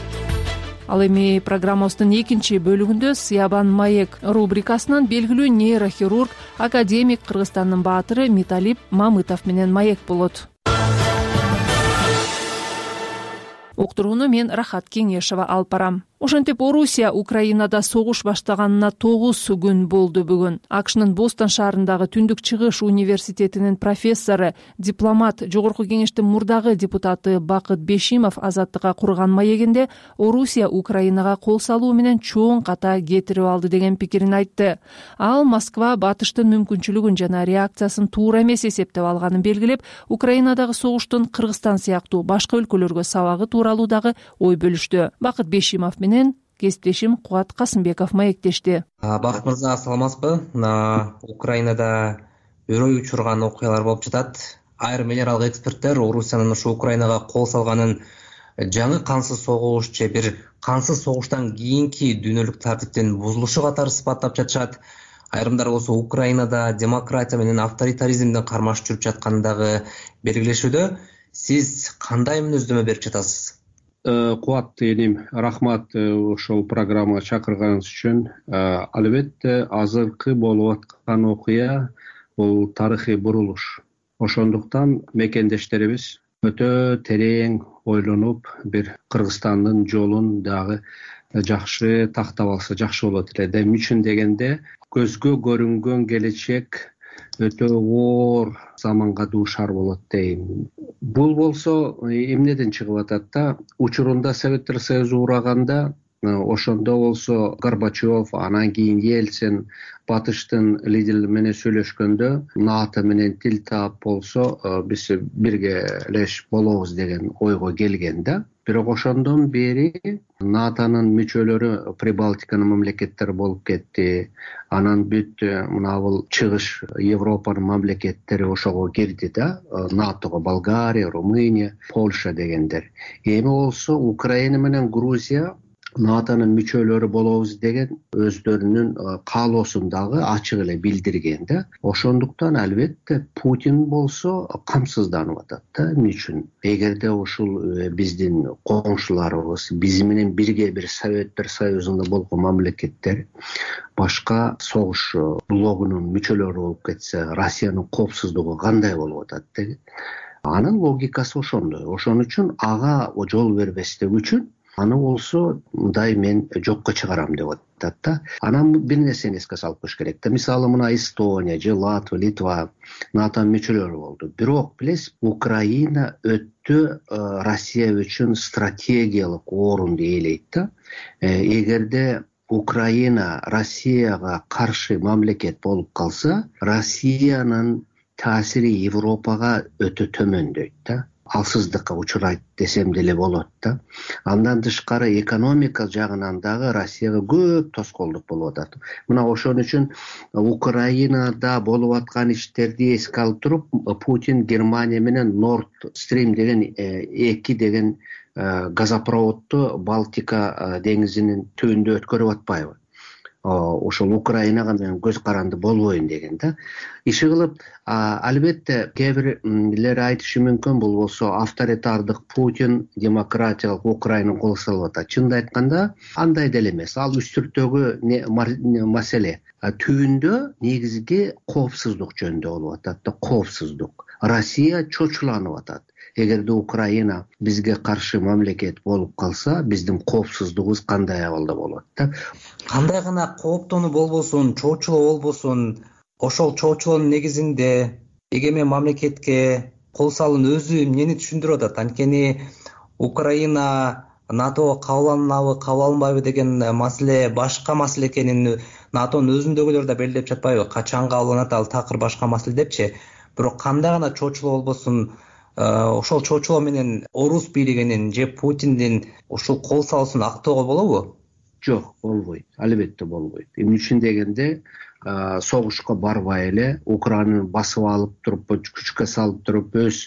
Ал эми программабыздын экинчи бөлүгүндө Сыябан маек рубрикасынын белгилүү нейрохирург, академик, Кыргызстандын баатыры Миталип Мамытов менен маек болот. Уктурууну мен Рахат Кеңешова алып барам. Ошентип Орусия Украинада согуш баштаганына тогуз күн болду бүгүн. АКШнын Бостон шаарындагы Түндүк Чыгыш университетинин профессору, дипломат, жогорку кеңештин мурдагы депутаты Бакыт Бешимов Азаттыкка курган маегинде Орусия Украинага кол салуу менен чоң ката кетирип алды деген пикирин айтты. Ал Москва батыштын мүмкүнчүлүгүн жана реакциясын туура эмес эсептеп алганын белгилеп, Украинадагы согуштун Кыргызстан сыяктуу башка өлкөлөргө сабагы тууралуу дагы ой бөлүштү. Бакыт Бешимов менен кесиптешим Кубат Касымбеков маектешти.
Бакыт мырза, саламатсызбы? Украинада өрөй учурган окуялар болуп жатат. Айрым эл аралык эксперттер Орусиянын ушу Украинага кол салганын жаңы кансыз согуш же бир кансыз согуштан кийинки дүйнөлүк тартиптин бузулушу катары сыпаттап жатышат. Айрымдар болсо Украинада демократия менен авторитаризмдин кармаш жүрүп жатканын дагы белгилешүүдө. Сиз кандай мүнөздөмө берип жатасыз?
Кубат эним, рахмат ошол программага чакырганыңыз үчүн. Албетте азыркы болуп аткан окуя бул тарыхый бурулуш. Ошондуктан мекендештерибиз өтө терең ойлонуп, бир Кыргызстандын жолун дагы жакшы тактап алса жакшы болот эле. Эмне үчүн дегенде, көзгө көрүнгөн келечек өтө оор заманга дуушар болот дейм. Бул болсо эмнеден чыгып атат да, учурунда Советтер Союзу ураганда, ошондо болсо Горбачев, анан кийин Ельцин батыштын лидерлери менен сүйлөшкөндө НАТО менен тил таап болсо биз биргелеш болобуз деген ойго келген да. Бирок ошондон бери НАТОнун мүчөлөрү Прибалтиканын мамлекеттери болуп кетти. Анан бүт мына бул чыгыш Европанын мамлекеттери ошого кирди да, НАТОго Болгария, Румыния, Польша дегендер. Эми болсо Украина менен Грузия НАТОнун мүчөлөрү болобуз деген өздөрүнүн каалоосун дагы ачык эле билдирген да. Ошондуктан албетте Путин болсо камсызданып атат да. Эмне үчүн? Эгерде ушул биздин коңшуларыбыз, биз менен бирге бир Советтер Союзунда болгон мамлекеттер башка согуш блогунун мүчөлөрү болуп кетсе, Россиянын коопсуздугу кандай болуп атат деген. Анын логикасы ошондой. Ошон үчүн ага жол бербестик үчүн аны болсо мындай мен жокко чыгарам деп атат да. Анан бир нерсени эске салып коюш керек да. Мисалы мына Эстония же Латвия, Литва НАТОнун мүчөлөрү болду. Бирок билесиз, Украина өтө Россия үчүн стратегиялык орунду ээлейт да. Эгерде Украина Россияга каршы мамлекет болуп калса, Россиянын таасири Европага өтө төмөндөйт да. Алсыздыкка учурайт десем деле болот да. Андан тышкары экономика жагынан дагы Россияга көп тоскоолдук болуп атат. Мына ошон үчүн Украинада болуп аткан иштерди эске алып туруп, Путин Германия менен Nord Stream деген эки деген газопроводду Балтика деңизинин түбүндө өткөрүп атпайбы? ошол Украинага мен көз каранды болбойн деген да. Иши кылып албетте кээ бирлер айтышы мүмкүн, бул болсо авторитардык Путин демократиялык Украинаны кол салып атат. Чынын айтканда андай деле эмес. Ал үстүртөгү маселе түбүндө негизги коопсуздук жөнүндө болуп атат да, коопсуздук. Россия чочуланып атат. Эгерде Украина бизге каршы мамлекет болуп калса, биздин коопсуздугубуз кандай абалда болот да.
Кандай гана кооптонуу болбосун, чоочулоо болбосун, ошол чоочулоонун негизинде эгемен мамлекетке кол салуунун өзү эмнени түшүндүрүп атат? Анткени Украина натого кабыл алынабы, кабыл алынбайбы деген маселе башка маселе экенин натонун өзүндөгүлөр да белгилеп жатпайбы? Качан кабыл алынат, ал такыр башка маселе депчи. Бирок кандай гана чоочулоо болбосун, ошол чоочулоо менен орус бийлигинин же Путиндин ушул кол салуусун актоого болобу?
Жок, болбойт. Албетте болбойт. Эмне үчүн дегенде, согушка барбай эле Украинаны басып алып туруп, күчкө салып туруп, өз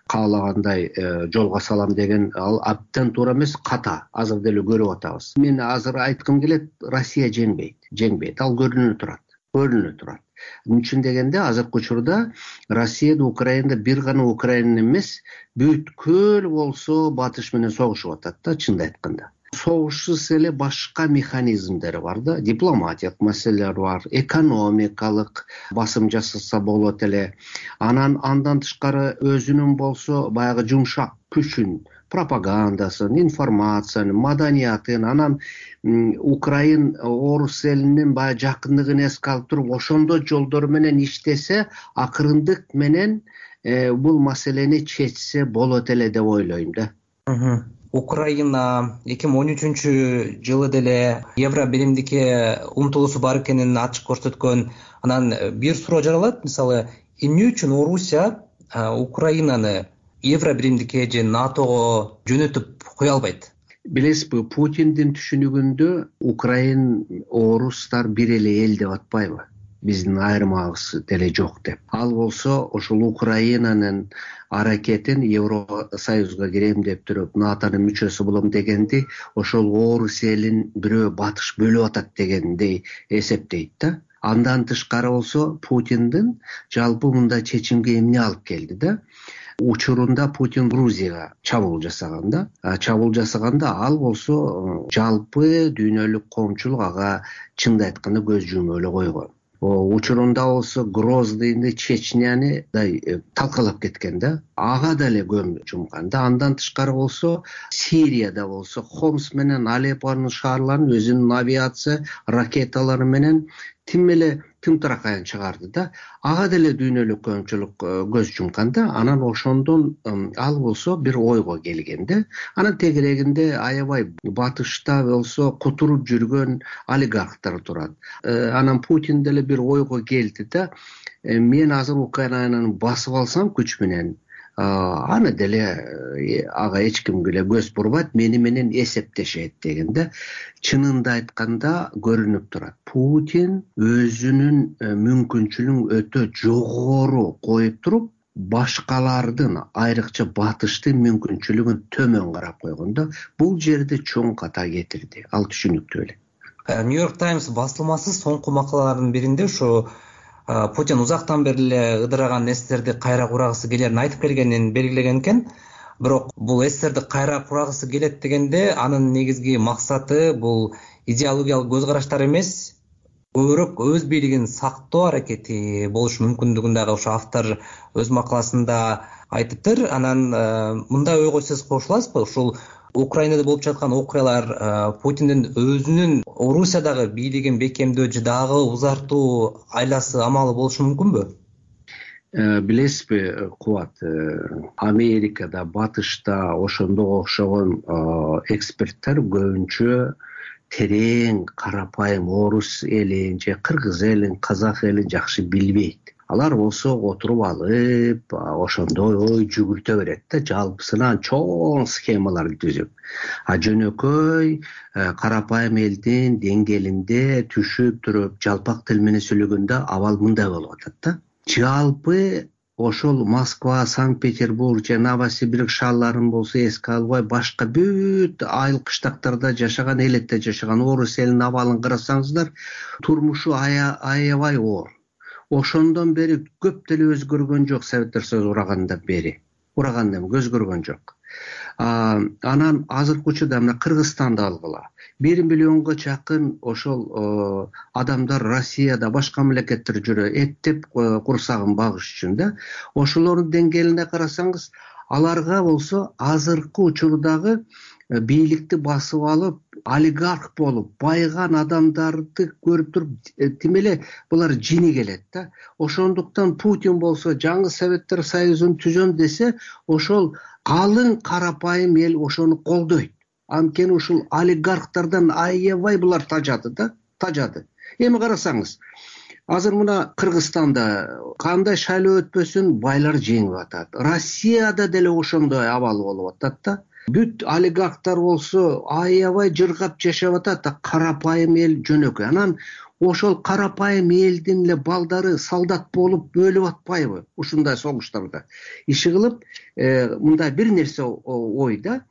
каалагандай жолго салам деген ал абдан туура эмес, ката. Азыр деле көрүп атабыз. Мен азыр айткым келет, Россия жеңбейт, жеңбейт. Ал көрүнүп турат, көрүнүп турат. Эмне үчүн дегенде, азыркы учурда Россияда, Украинада бир гана Украина эмес, бүткүл болсо батыш менен согушуп атат да, чынын айтканда. Согушсуз эле башка механизмдери бар да, дипломатиялык маселелер бар, экономикалык басым жасаса болот эле. Анан андан тышкары өзүнүн болсо баягы жумшак күчүн, пропагандасын, информациянын, маданиятын, анан Украин орус элинин баягы жакындыгын эске алып туруп, ошондой жолдор менен иштесе, акырындык менен бул маселени чечсе болот эле деп ойлойм да.
Украина эки миң он үчүнчү жылы деле евро биримдикке умтулуусу бар экенин ачык көрсөткөн. Анан бир суроо жаралат, мисалы, эмне үчүн Орусия Украинаны евро биримдикке же натого жөнөтүп кое албайт?
Билесизби, Путиндин түшүнүгүндө Украин, орустар бир эле эл деп атпайбы? Биздин айырмабыз деле жок деп. Ал болсо ошол Украинанын аракетин Евросоюзга кирем деп туруп, натонун мүчөсү болом дегенди, ошол орус элин бирөө батыш бөлүп атат дегендей эсептейт да. Андан тышкары болсо Путиндин жалпы мындай чечимге эмне алып келди да? Учурунда Путин Грузияга чабуул жасаган да. Чабуул жасаганда ал болсо жалпы дүйнөлүк коомчулук ага чынын айтканда көз жумуп эле койгон. Учурунда болсо Гроздыйны, Чечняны талкалап кеткен да. Ага деле көз жумкан да. Андан тышкары болсо Сирияда болсо Хомс менен Алеппонун шаарларын өзүнүн авиация ракеталары менен тим эле тымтыракайын чыгарды да. Ага деле дүйнөлүк коомчулук көз жумкан да. Анан ошондон ал болсо бир ойго келген да. Анан тегерегинде аябай батышта болсо кутуруп жүргөн олигархтар турат. Анан Путин деле бир ойго келди да. Мен азыр Украинаны басып алсам күч менен, аны деле ага эч кимге эле көз бурбайт, мени менен эсептешет деген да. Чынында айтканда көрүнүп турат. Путин өзүнүн мүмкүнчүлүгүн өтө жогору коюп туруп, башкалардын, айрыкча батыштын мүмкүнчүлүгүн төмөн карап койгон да. Бул жерде чоң ката кетирди. Ал түшүнүктүү эле.
Нью-Йорк Таймс басылмасы соңку макалаларынын биринде ушу Путин узактан бери эле ыдыраган эстерди кайра курагысы келерин айтып келгенин белгилеген экен. Бирок бул эстерди кайра курагысы келет дегенде анын негизги максаты бул идеологиялык көз караштар эмес, көбүрөөк өз бийлигин сактоо аракети болушу мүмкүндүгүн дагы ошо автор өз макаласында айтыптыр. Анан мындай ойго сиз кошуласызбы? Ушул Украинада болуп жаткан окуялар Путиндин өзүнүн Орусиядагы бийлигин бекемдөө же дагы узартуу айласы амалы болушу мүмкүнбү?
Билесизби, Кубат, Америкада, батышта ошондого окшогон эксперттер көбүнчө терең, карапайым орус элин же кыргыз элин, казак элин жакшы билбейт. Алар болсо отуруп алып, ошондой ой жүгүртө берет да, жалпысынан чоң схемаларды түзүп. А жөнөкөй карапайым элдин деңгээлинде түшүп туруп, жалпак тил менен сүйлөгөндө абал мындай болуп атат да. Жалпы ошол Москва, Санкт-Петербург же Новосибирск шаарларын болсо эске албай, башка бүт айыл кыштактарда жашаган, элетте жашаган орус элинин абалын карасаңыздар, турмушу аябай оор. Ошондон бери көп деле өзгөргөн жок. Советтер Союзу урагандан бери урагандан өзгөргөн жок. Анан азыркы учурда мына Кыргызстанды алгыла. бир миллионго чакын ошол адамдар Россияда, башка мамлекеттер жүрө, эттеп курсагын багыш үчүн да. Ошолордун деңгээлине карасаңыз, аларга болсо азыркы учурдагы бийликти басып алып, олигарх болуп, байган адамдарды көрүп туруп, тим эле булар жини келет да. Ошондуктан Путин болсо жаңы Советтер Союзун түзөм десе, ошол калың карапайым эл ошону колдойт. Анткени ушул олигархтардан аябай булар тажады да, тажады. Эми карасаңыз, азыр мына Кыргызстанда кандай шайлоо өтпөсүн байлар жеңип атат. Россияда деле ошондой абал болуп атат да. Бүт олигархтар болсо аябай жыргап жашап атат, карапайым эл жөнөкөй. Анан ошол карапайым элдин эле балдары солдат болуп өлүп атпайбы ушундай согуштарда? Иши кылып, мындай бир нерсе ой да,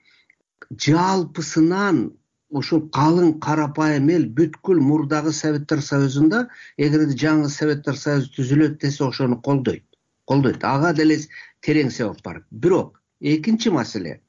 жалпысынан ошол калың карапайым эл бүткүл мурдагы Советтер Союзунда, эгерде жаңы Советтер Союзу түзүлөт десе, ошону колдойт. Колдойт. Ага деле терең себеп бар. Бирок экинчи маселе,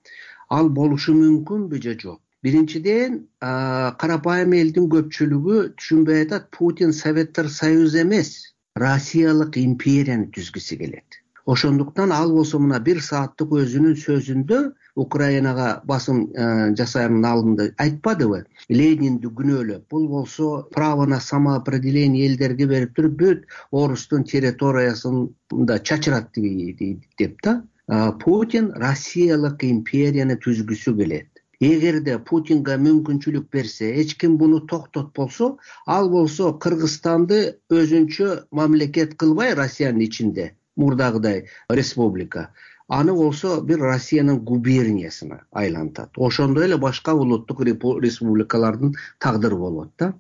ал болушу мүмкүнбү же жок? Биринчиден, карапайым элдин көпчүлүгү түшүнбөй атат, Путин Советтер Союзу эмес, Россиялык империяны түзгүсү келет. Ошондуктан ал болсо мына бир сааттык өзүнүн сөзүндө Украинага басым жасаянын алдында айтпадыбы? Ленинди күнөөлөп, бул болсо право на самоопределение элдерге берип туруп, бүт орустун территориясын да чачырат деп да. Путин Россиялык империяны түзгүсү келет. Эгерде Путинге мүмкүнчүлүк берсе, эч ким буну токтотпосо, ал болсо Кыргызстанды өзүнчө мамлекет кылбай Россиянын ичинде, мурдагыдай республика, аны болсо бир Россиянын губерниясына айлантат. Ошондой эле башка улуттук республикалардын тагдыры болот да.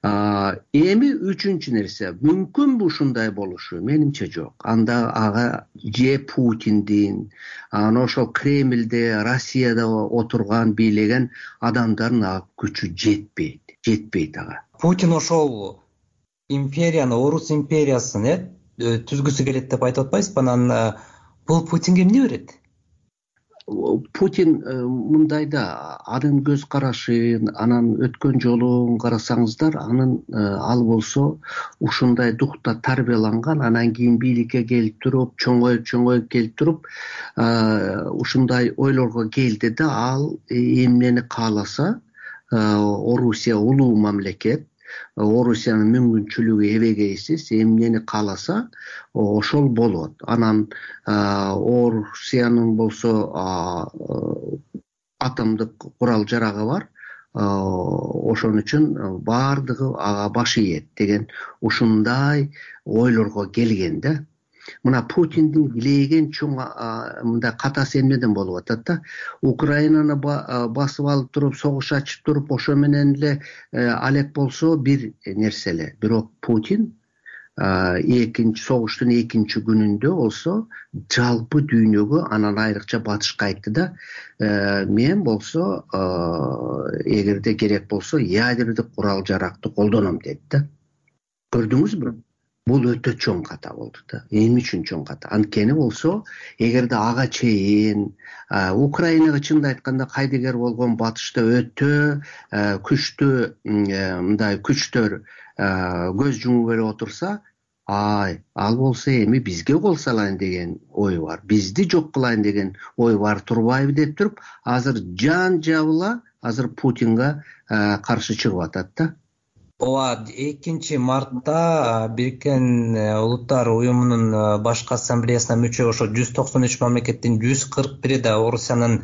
Эми үчүнчү нерсе, мүмкүнбү ушундай болушу? Менимче жок. Анда ага же Путиндин, аны ошол Кремльде, Россияда отурган, бийлеген адамдардын күчү жетпейт. Жетпейт ага.
Путин ошол империяны, орус империясын түзгүсү келет деп айтып атпайсызбы? Анан бул Путинге эмне берет?
Путин мындайда, анын көз карашын, анан өткөн жолун карасаңыздар, анын ал болсо ушундай духта тарбияланган, анан кийин бийликке келип туруп, чоңоюп чоңоюп келип туруп, ушундай ойлорго келди да, ал эмнени кааласа, Орусия улуу мамлекет, Орусиянын мүмкүнчүлүгү эбегейсиз, эмнени кааласа ошол болот. Анан Орусиянын болсо атомдук курал жарагы бар, ошон үчүн баардыгы ага баш ийет деген ушундай ойлорго келген да. Мына Путиндин билеген чоң мындай катасы эмнеден болуп атат да? Украинаны басып алып туруп, согуш ачып туруп, ошо менен эле алек болсо бир нерсе эле. Бирок Путин экинчи согуштун экинчи күнүндө болсо жалпы дүйнөгө, анан айрыкча батышка айтты да, мен болсо эгерде керек болсо ядердик курал жаракты колдоном деди да. Көрдүңүзбү? Бул өтө чоң ката болду да. Эмне үчүн чоң ката? Анткени болсо, эгерде ага чейин Украинага чынды айтканда кайдыгер болгон батышта өтө күчтүү мындай күчтөр көз жумуп эле отурса, ай, ал болсо эми бизге кол салайын деген ой бар, бизди жок кылайын деген ой бар турбайбы деп туруп, азыр жан жабыла азыр Путинга каршы чыгып атат да.
Ооба, экинчи мартта Бириккен Улуттар уюмунун башкы ассамблеясына мүчө ошо жүз токсон үч мамлекеттин жүз кырк бири да Орусиянын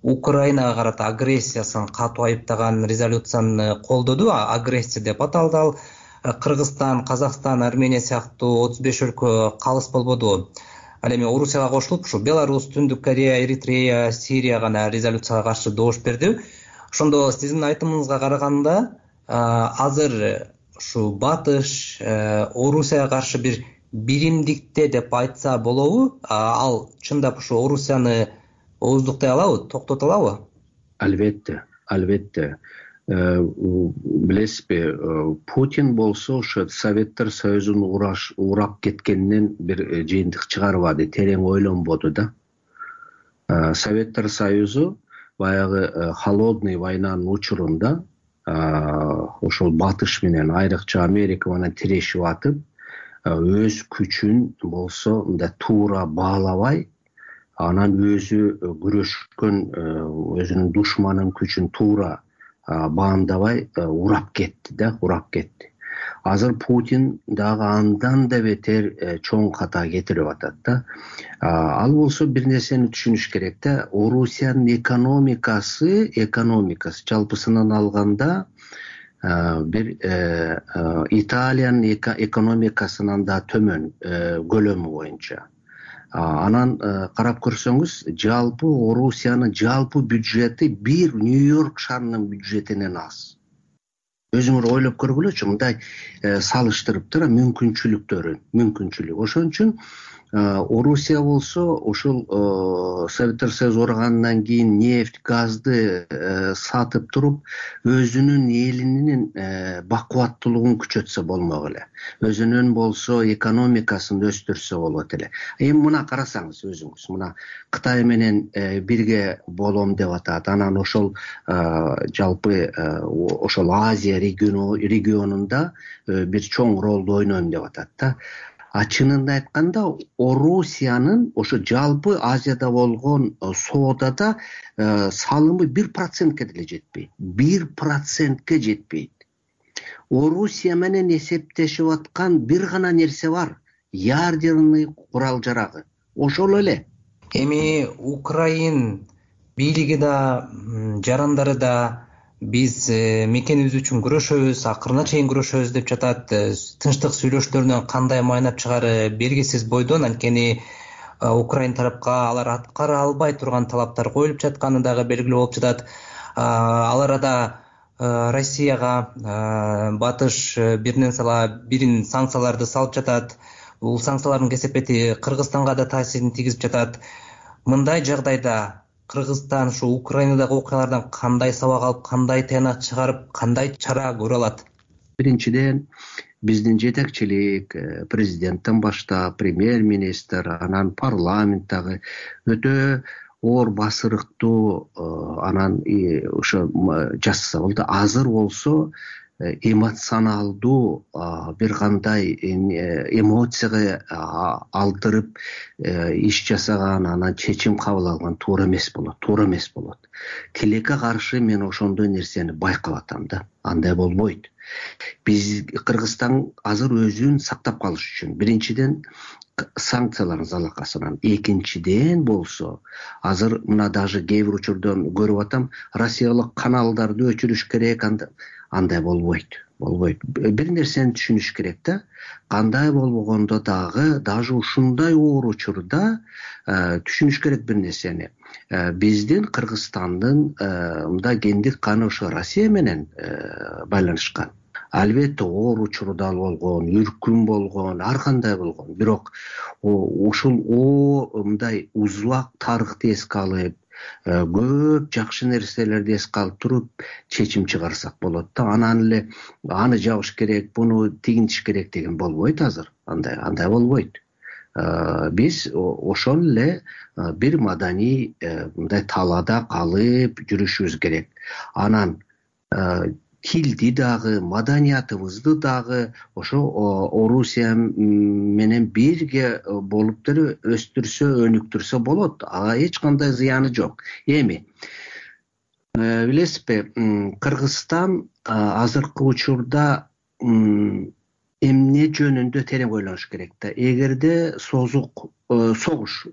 Украинага карата агрессиясын катуу айыптаган резолюцияны колдоду. Агрессия деп аталды ал. Кыргызстан, Казакстан, Армения сыяктуу отуз беш өлкө калыс болбоду. Ал эми Орусияга кошулуп, ушу Беларусь, Түндүк Корея, Эритрея, Сирия гана резолюцияга каршы добуш берди. Ошондо сиздин айтымыңызга караганда, азыр ушу батыш Орусияга каршы бир биримдикте деп айтса болобу? Ал чындап ушу Орусияны ооздуктай алабы, токтото алабы?
Албетте, албетте. Билесизби, Путин болсо ошо Советтер Союзун урап кеткенинен бир жыйынтык чыгарбады, терең ойлонбоду да. Советтер Союзу баягы холодный войнанын учурунда ошол батыш менен, айрыкча Америка менен тирешип атып, өз күчүн болсо мындай туура баалабай, анан өзү күрөшкөн өзүнүн душманынын күчүн туура баамдабай урап кетти да, урап кетти. Азыр Путин дагы андан да бетер чоң ката кетирип атат да. Ал болсо бир нерсени түшүнүш керек да, Орусиянын экономикасы, экономикасы жалпысынан алганда бир Италиянын экономикасынан да төмөн көлөмү боюнча. Анан карап көрсөңүз, жалпы Орусиянын жалпы бюджети бир Нью-Йорк шаарынын бюджетинен аз. Өзүңөр ойлоп көргүлөчү, мындай салыштырып тура мүмкүнчүлүктөрүн, мүмкүнчүлүк. Ошон үчүн Орусия болсо ошол Советтер Союзу ургандан кийин нефть, газды сатып туруп, өзүнүн элинин бакубаттуулугун күчөтсө болмок эле. Өзүнүн болсо экономикасын өстүрсө болот эле. Эми мына карасаңыз өзүңүз, мына Кытай менен бирге болом деп атат. Анан ошол жалпы ошол Азия регионунда бир чоң ролду ойнойм деп атат да. А чынында айтканда, Орусиянын ошо жалпы Азияда болгон соодада салымы бир процентке деле жетпейт. бир процентке жетпейт. Орусия менен эсептешип аткан бир гана нерсе бар. Ядерный курал жарагы. Ошол эле.
Эми Украин бийлиги да, жарандары да биз мекенибиз үчүн күрөшөбүз, акырына чейин күрөшөбүз деп жатат. Тынчтык сүйлөшүүлөрүнөн кандай майнап чыгары белгисиз бойдон, анткени Украин тарапка алар аткара албай турган талаптар коюлуп жатканы дагы белгилүү болуп жатат. Ал арада Россияга батыш биринен сала бирин санкцияларды салып жатат. Бул санкциялардын кесепети Кыргызстанга да таасирин тийгизип жатат. Мындай жагдайда Кыргызстан ушу Украинадагы окуялардан кандай сабак алып, кандай тыянак чыгарып, кандай чара көрө алат?
Биринчиден, биздин жетекчилик, президенттен баштап, премьер-министр, анан парламенттагы өтө оор басырыктуу анан ошо жасаса болду. Азыр болсо эмоционалдуу бир кандай эмоцияга алдырып иш жасаган, анан чечим кабыл алган туура эмес болот, туура эмес болот. Тилекке каршы мен ошондой нерсени байкап атам да. Андай болбойт. Биз Кыргызстан азыр өзүн сактап калыш үчүн биринчиден санкциялардын залакасынан, экинчиден болсо азыр мына даже кээ бир учурдан көрүп атам, Россиялык каналдарды өчүрүш керек. Андай болбойт, болбойт. Бир нерсени түшүнүш керек да. Кандай болбогондо дагы, даже ушундай оор учурда түшүнүш керек бир нерсени. Биздин Кыргызстандын мындай гендик каны ошо Россия менен байланышкан. Албетте оор учурда болгон, үркүн болгон, ар кандай болгон. Бирок ушул о мындай узак тарыхты эске алып, көп жакшы нерселерди эске алып туруп чечим чыгарсак болот да. Анан эле аны жабыш керек, буну тигинтиш керек деген болбойт азыр. Андай андай болбойт. Биз ошол эле бир маданий мындай талаада калып жүрүшүбүз керек. Анан тилди дагы, маданиятыбызды дагы ошо Орусия менен бирге болуп деле өстүрсө, өнүктүрсө болот. Ага эч кандай зыяны жок. Эми билесизби, Кыргызстан азыркы учурда эмне жөнүндө терең ойлонуш керек да. Эгерде созук согуш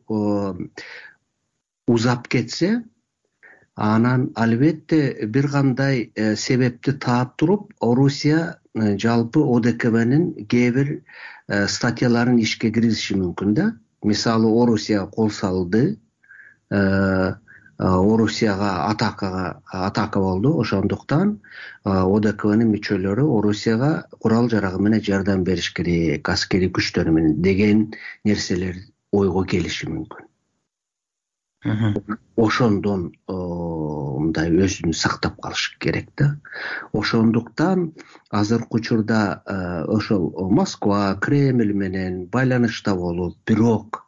узап кетсе, анан албетте бир кандай себепти таап туруп, Орусия жалпы О Д К Б'нин кээ бир статьяларын ишке киргизиши мүмкүн да. Мисалы, Орусия кол салды,
орусияга атакага атака болду. Ошондуктан одкнын мүчөлөрү орусияга курал жарагы менен жардам бериш керек, аскерий күчтөрү менен деген нерселер ойго келиши мүмкүн. Ошондон мындай өзүн сактап калыш керек да. Ошондуктан азыркы учурда ошол Москва, Кремль менен байланышта болуп, бирок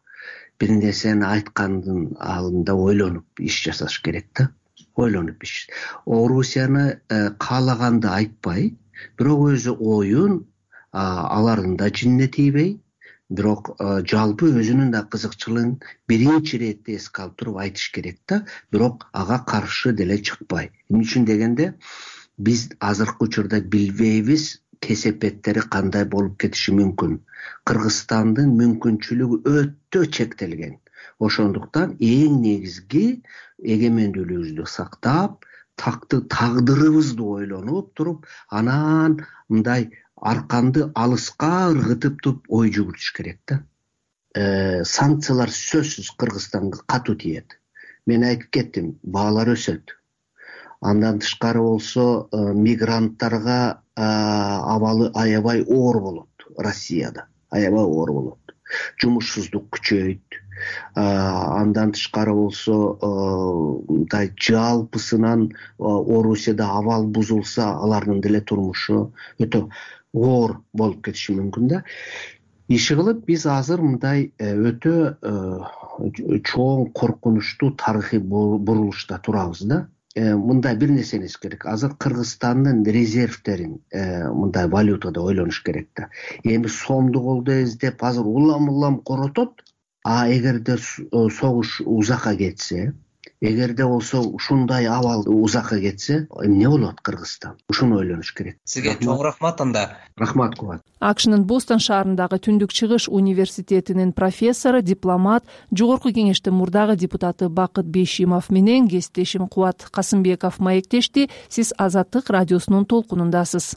бир нерсени айткандын алдында ойлонуп иш жасаш керек да. Ойлонуп иш. Орусияны каалаганды айтпай, бирок өзү оюн алардын да жинине тийбей, бирок жалпы өзүнүн да кызыкчылыгын биринчи иретте эске алып туруп айтыш керек да, бирок ага каршы деле чыкпай. Эмне үчүн дегенде, биз азыркы учурда билбейбиз кесепеттери кандай болуп кетиши мүмкүн. Кыргызстандын мүмкүнчүлүгү өтө чектелген. Ошондуктан эң негизги эгемендүүлүгүбүздү сактап, такты тагдырыбызды ойлонуп туруп, анан мындай арканды алыска ыргытып туруп ой жүгүртүш керек да. Санкциялар сөзсүз Кыргызстанга катуу тиет. Мен айтып кеттим, баалар өсөт. Андан тышкары болсо мигранттарга абалы аябай оор болот. Россияда аябай оор болот. Жумушсуздук күчөйт. Андан тышкары болсо мындай жалпысынан Орусияда абал бузулса, алардын деле турмушу өтө оор болуп кетиши мүмкүн да. Иши кылып биз азыр мындай өтө чоң коркунучтуу тарыхый бурулушта турабыз да. Мындай бир нерсени эскериш керек. Азыр Кыргызстандын резервтерин мындай валютада ойлонуш керек да. Эми сомду колдо эздеп азыр улам-улам коротот, а эгерде согуш узакка кетсе, эгерде болсо ушундай абал узакка кетсе, эмне болот Кыргызстан? Ушуну ойлонуш керек.
Сизге чоң рахмат анда.
Рахмат Кубат.
акшнын Бостон шаарындагы Түндүк Чыгыш университетинин профессору, дипломат, жогорку кеңештин мурдагы депутаты Бакыт Бейшимов менен кесиптешим Кубат Касымбеков маектешти. Сиз Азаттык радиосунун толкунундасыз.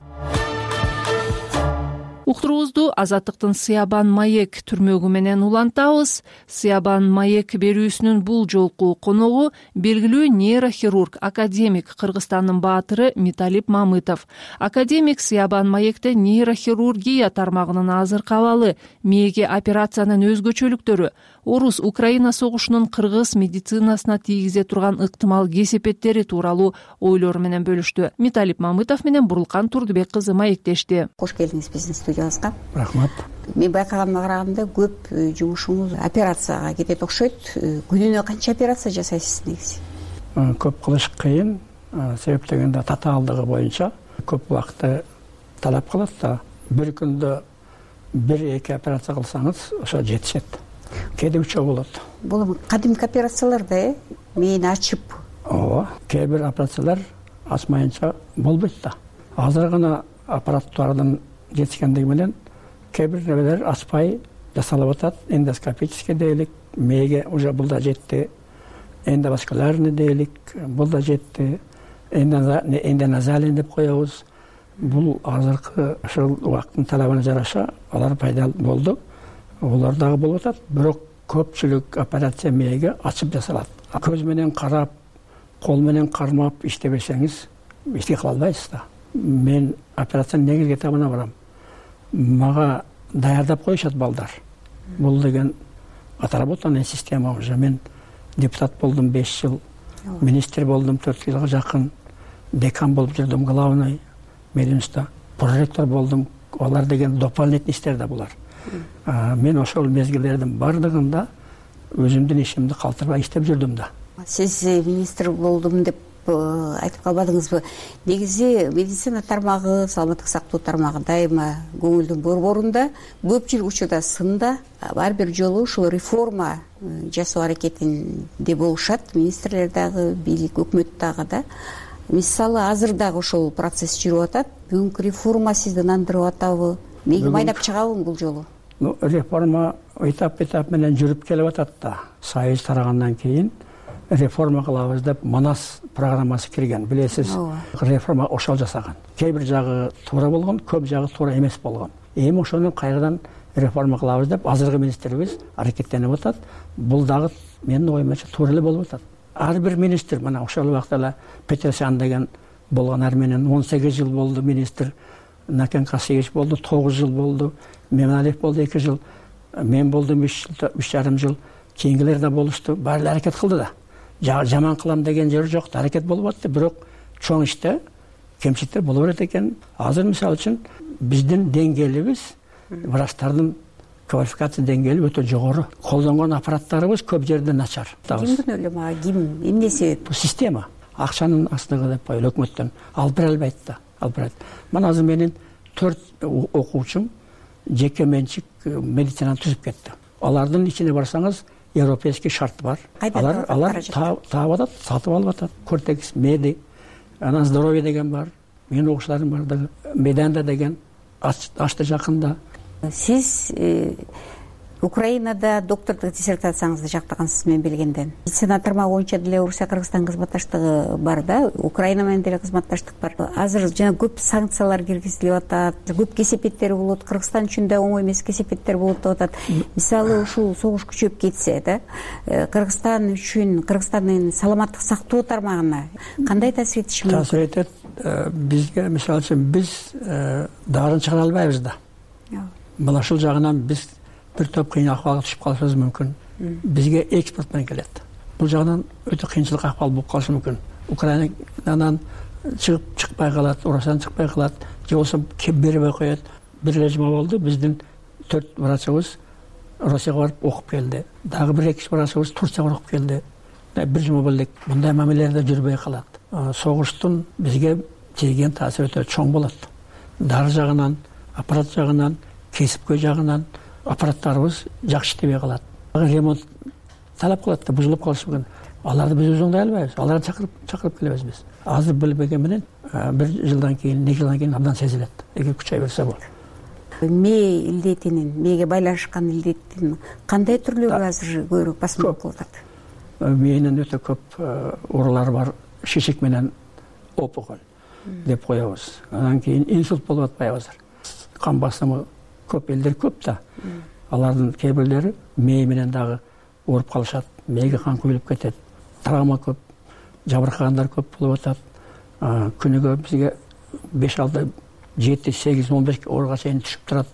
Уктуруубузду Азаттыктын Сыябан маек түрмөгү менен улантабыз. Сыябан маек берүүсүнүн бул жолку коногу белгилүү нейрохирург, академик, Кыргызстандын баатыры Миталип Мамытов. Академик Сыябан маекте нейрохирургия тармагынын азыркы абалы, мээге операциянын өзгөчөлүктөрү, Орус-Украина согушунун кыргыз медицинасына тийгизе турган ыктымал кесепеттери тууралуу ойлору менен бөлүштү. Миталип Мамытов менен Бурулкан Турдубек кызы маектешти.
Кош келдиңиз биздин студиябызга.
Рахмат.
Мен байкаганыма караганда көп жумушуңуз операцияга кетет окшойт. Күнүнө канча операция жасайсыз негизи?
Көп кылыш кыйын, себеп дегенде татаалдыгы боюнча көп убакытты талап кылат да. Бир күндө бир-эки операция кылсаңыз, ошо жетишет. Кээде үч болот.
Бул кадимки операциялар да, э? Мээни ачып.
Ооба, кээ бир операциялар ачмайынча болбойт да. Азыр гана аппараттардын жетишкендиги менен кээ бир нерселер ачпай жасалып атат. Эндоскопический дейлик, мээге уже бул да жетти. Эндоваскулярный дейлик, бул да жетти. Эндоназалий деп коебуз. Бул азыркы ошол убакыттын талабына жараша алар пайда болду. Олар дагы болуп атат, бирок көпчүлүк операция мээге ачып жасалат. Көз менен карап, кол менен кармап иштебесеңиз, иштей кыла албайсыз да. Мен операциянын негизги этабына барам. Мага даярдап коюшат балдар. Бул деген отработанная система уже. Мен депутат болдум беш жыл, министр болдум төрт жылга жакын, декан болуп жүрдүм главный мединститута, проректор болдум. Олар деген дополнительный иштер да булар. Мен ошол мезгилдердин бардыгында өзүмдүн ишимди калтырбай иштеп жүрдүм да.
Сиз министр болдум деп айтып калбадыңызбы? Негизи медицина тармагы, саламаттык сактоо тармагы дайыма көңүлдүн борборунда, көпчүлүк учурда сында ар бир жолу ушул реформа жасоо аракетинде болушат. Министрлер дагы, бийлик, өкмөт дагы да. Мисалы азыр дагы ошол процесс жүрүп атат. Бүгүнкү реформа сизди нандырып атабы? Мээге майнап чыгабы бул жолу?
Ну, реформа этап-этап менен жүрүп келип атат да. Союз тарагандан кийин реформа кылабыз деп Манас программасы кирген. Билесиз, реформа ошол жасаган. Кээ бир жагы туура болгон, көп жагы туура эмес болгон. Эми ошону кайрадан реформа кылабыз деп азыркы министрибиз аракеттенип атат. Бул дагы менин оюмча туура эле болуп атат. ар бир министр мына ошол убакта эле Петросян деген болгон Армениян он сегиз жыл болду министр, Накен Касиевич болду тогуз жыл болду, Мемналиев болду эки жыл, мен болдум үч жарым жыл, кийинкилер да болушту. Баары эле аракет кылды да. Жаман кылам деген жери жок, аракет болуп атты, бирок чоң иште кемчиликтер боло берет экен. Азыр мисалы үчүн биздин деңгээлибиз, врачтардын квалификация деңгээли өтө жогору. Колдонгон аппараттарыбыз көп жерде начар.
Ким күнөөлүү мага, ким, эмне себеп?
Бул система, акчанын астыгы деп коелу, өкмөттөн алып бере албайт да, алып берет. Мына азыр менин төрт окуучум жеке менчик медицинаны түзүп кетти. Алардын ичине барсаңыз, европейский шарт бар. Алар алар таап атат, сатып алып атат. Кортекс, Меди, анан здоровье деген бар. Менин окуучуларым бар да, Меданда деген ачты жакында.
Сиз Украинада доктордук диссертацияңызды жактагансыз, мен билгенден. Медицина тармагы боюнча деле Орусия Кыргызстан кызматташтыгы бар да, Украина менен деле кызматташтык бар. Азыр жана көп санкциялар киргизилип атат, көп кесепеттер болот, Кыргызстан үчүн да оңой эмес кесепеттер болот деп атат. Мисалы ушул согуш күчөп кетсе да, Кыргызстан үчүн, Кыргызстандын саламаттык сактоо тармагына кандай таасир этиши мүмкүн?
Таасир этет. Бизге мисалы үчүн биз дарын чыгара албайбыз да. Мына ушул жагынан биз бир топ кыйын акыбалга түшүп калышыбыз мүмкүн. Бизге экспорт менен келет. Бул жагынан өтө кыйынчылык акыбал болуп калышы мүмкүн. Украинадан чыгып чыкпай калат, Орусиядан чыкпай калат, же болбосо кеп бербей коет. Бир эле жума болду, биздин төрт врачыбыз Россияга барып окуп келди. Дагы бир эки врачыбыз Турцияга окуп келди. Бир жума болду. Мындай мамилелерде жүрбөй калат. Согуштун бизге тийген таасири өтө чоң болот. Дары жагынан, аппарат жагынан, кесипкөй жагынан аппараттарыбыз жакшы иштебей калат. Ремонт талап кылат да, бузулуп калышы мүмкүн. Аларды биз өзүңдөй албайбыз. Аларды чакырып чакырып келебиз биз. Азыр билбеген менен бир жылдан кийин, эки жылдан кийин абдан сезилет. Эгер күчөй берсе болот.
Мээ илдетинин, мээге байланышкан илдеттин кандай түрлөрү азыр көбүрөөк басым болуп атат?
Мээнин өтө көп оорулары бар. Шишик менен опухоль деп коебуз. Андан кийин инсульт болуп атпайбы азыр? Кан басымы көп элдер көп да. Алардын кээ бирлери мээ менен дагы ооруп калышат. Мээге кан куюлуп кетет. Травма көп, жабыркагандар көп болуп атат. Күнүгө бизге беш алты жети сегиз он беш ооруга чейин түшүп турат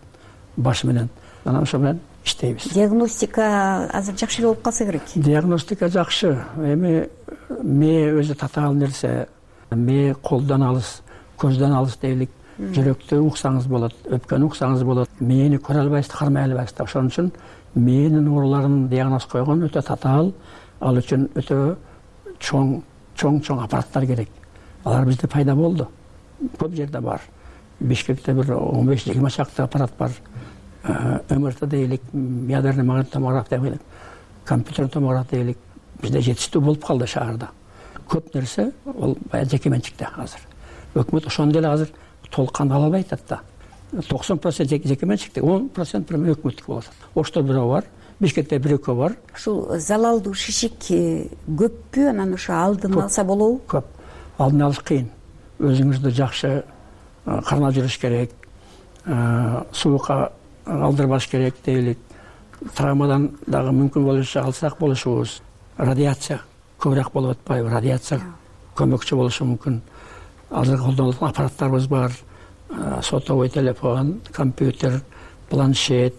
баш менен. Анан ошо менен иштейбиз.
Диагностика азыр жакшы болуп калса керек.
Диагностика жакшы. Эми мээ өзү татаал нерсе. Мээ колдон алыс, көздөн алыс дейлик. Жүрөктү уксаңыз болот, өпкөнү уксаңыз болот. Мээни көрө албайсыз, кармай албайсыз. Ошон үчүн мээнин ооруларын диагноз койгон өтө татаал, ал үчүн өтө чоң чоң чоң аппараттар керек. Алар бизде пайда болду. Көп жерде бар. Бишкекте бир он беш жыйырма чакты аппарат бар. МРТ дейлик, ядерный магнит томограф дейлик, компьютерный томограф дейлик. Бизде жетиштүү болуп калды шаарда. Көп нерсе ол баягы жеке менчикте азыр. Өкмөт ошондой эле азыр толкун ала албай атат да. токсон процент жеке менчикте, он процент пирме өкмөттүк болот. Ошто бирөө бар, Бишкекте бир экөө бар.
Ушул залалдуу шишик көппү, анан ошо алдын алса болобу?
Көп. Алдын алыш кыйын. Өзүңүздү жакшы кармап жүрүш керек, суукка алдырбаш керек дейлик. Травмадан дагы мүмкүн болушунча алсак болушубуз. Радиация көбүрөөк болуп атпайбы? Радиация көмөкчү болушу мүмкүн. Азыр колдонулган аппараттарыбыз бар. Сотовой телефон, компьютер, планшет,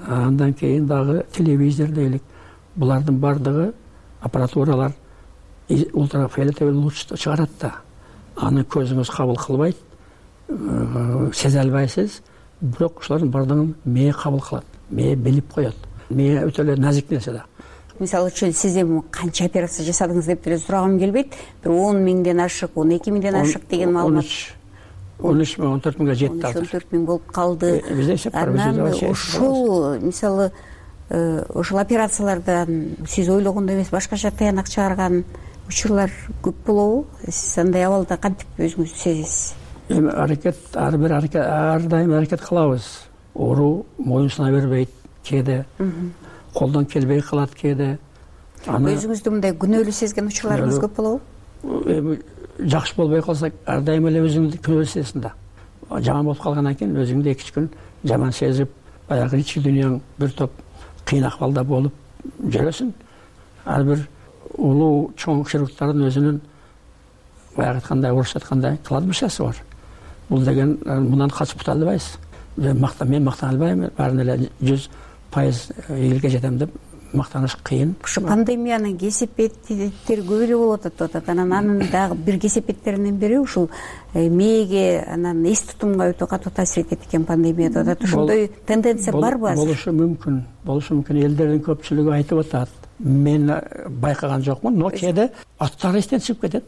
андан кийин дагы телевизор дейлик. Булардын бардыгы аппаратуралар ультрафиолетовый луч чыгарат да. Аны көзүңүз кабыл кылбайт, сезе албайсыз. Бирок ушулардын бардыгын мээ кабыл кылат. Мээ билип коет. Мээ өтө эле назик нерсе да.
Мисалы үчүн сиз эми канча операция жасадыңыз деп деле сурагым келбейт. Бир он миңден ашык, он эки миңден ашык деген маалымат.
он үч миң, он төрт миңге жетти азыр.
он төрт миң болуп калды. Анан ушул мисалы ошол операциялардан сиз ойлогондой эмес башкача таянак чыгарган учурлар көп болобу? Сиз андай абалда кантип өзүңүздү сезесиз?
Эми аракет, ар бир аракет, ар дайым аракет кылабыз. Оору моюнсуна бербейт кээде. Колдон келбей калат кээде.
Өзүңүздү мындай күнөөлүү сезген учурларыңыз көп болобу?
Эми жакшы болбой калса, ар дайым эле өзүңдү күнөөлүү сезесиң да. Жаман болуп калгандан кийин өзүңдү эки үч күн жаман сезип, баягы ички дүйнөң бир топ кыйын акыбалда болуп жүрөсүң. Ар бир улуу чоң хирургдардын өзүнүн баягы айткандай орусча айткандай кладбищеси бар. Бул деген мындан качып кута албайбыз. Мен мактана албайм, баарын эле жүз пайыз элге жетем деп мактаныш кыйын.
Ушу пандемиянын кесепеттери көп эле болуп атат атат. Анан анын дагы бир кесепеттеринин бири ушул мээге, анан эс тутумга өтө катуу таасир этет экен пандемия деп атат. Ошондой тенденция барбы азыр?
Болушу мүмкүн. Болушу мүмкүн. Элдердин көпчүлүгү айтып атат. Мен байкаган жокмун, но кээде аттары эстен чыгып кетет.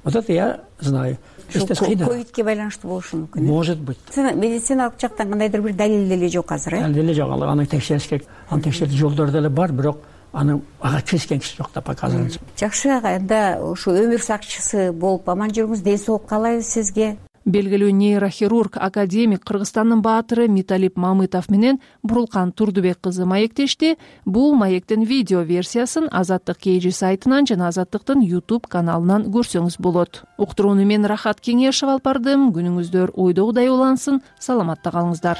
Вот я знаю.
ковидке байланыштуу болушу мүмкүн.
Может быть.
Медициналык жактан кандайдыр бир далил деле жок азыр, э?
Далил деле жок. Аны текшериш керек. Аны текшертүү жолдору деле бар, бирок аны ага киришкен киши жок да пока азыр.
Жакшы ага, анда ушу өмүр сакчысы болуп аман жүрүңүз. Ден соолук каалайбыз сизге.
Белгилүү нейрохирург, академик, Кыргызстандын баатыры Миталип Мамытов менен Бурулкан Турдубек кызы маектешти. Бул маектин видео версиясын Азаттык Кей сайтынан жана Азаттыктын YouTube каналынан көрсөңүз болот. Уктурууну мен Рахат Кеңешева алып бардым. Күнүңүздөр ойдогудай улансын. Саламатта калыңыздар.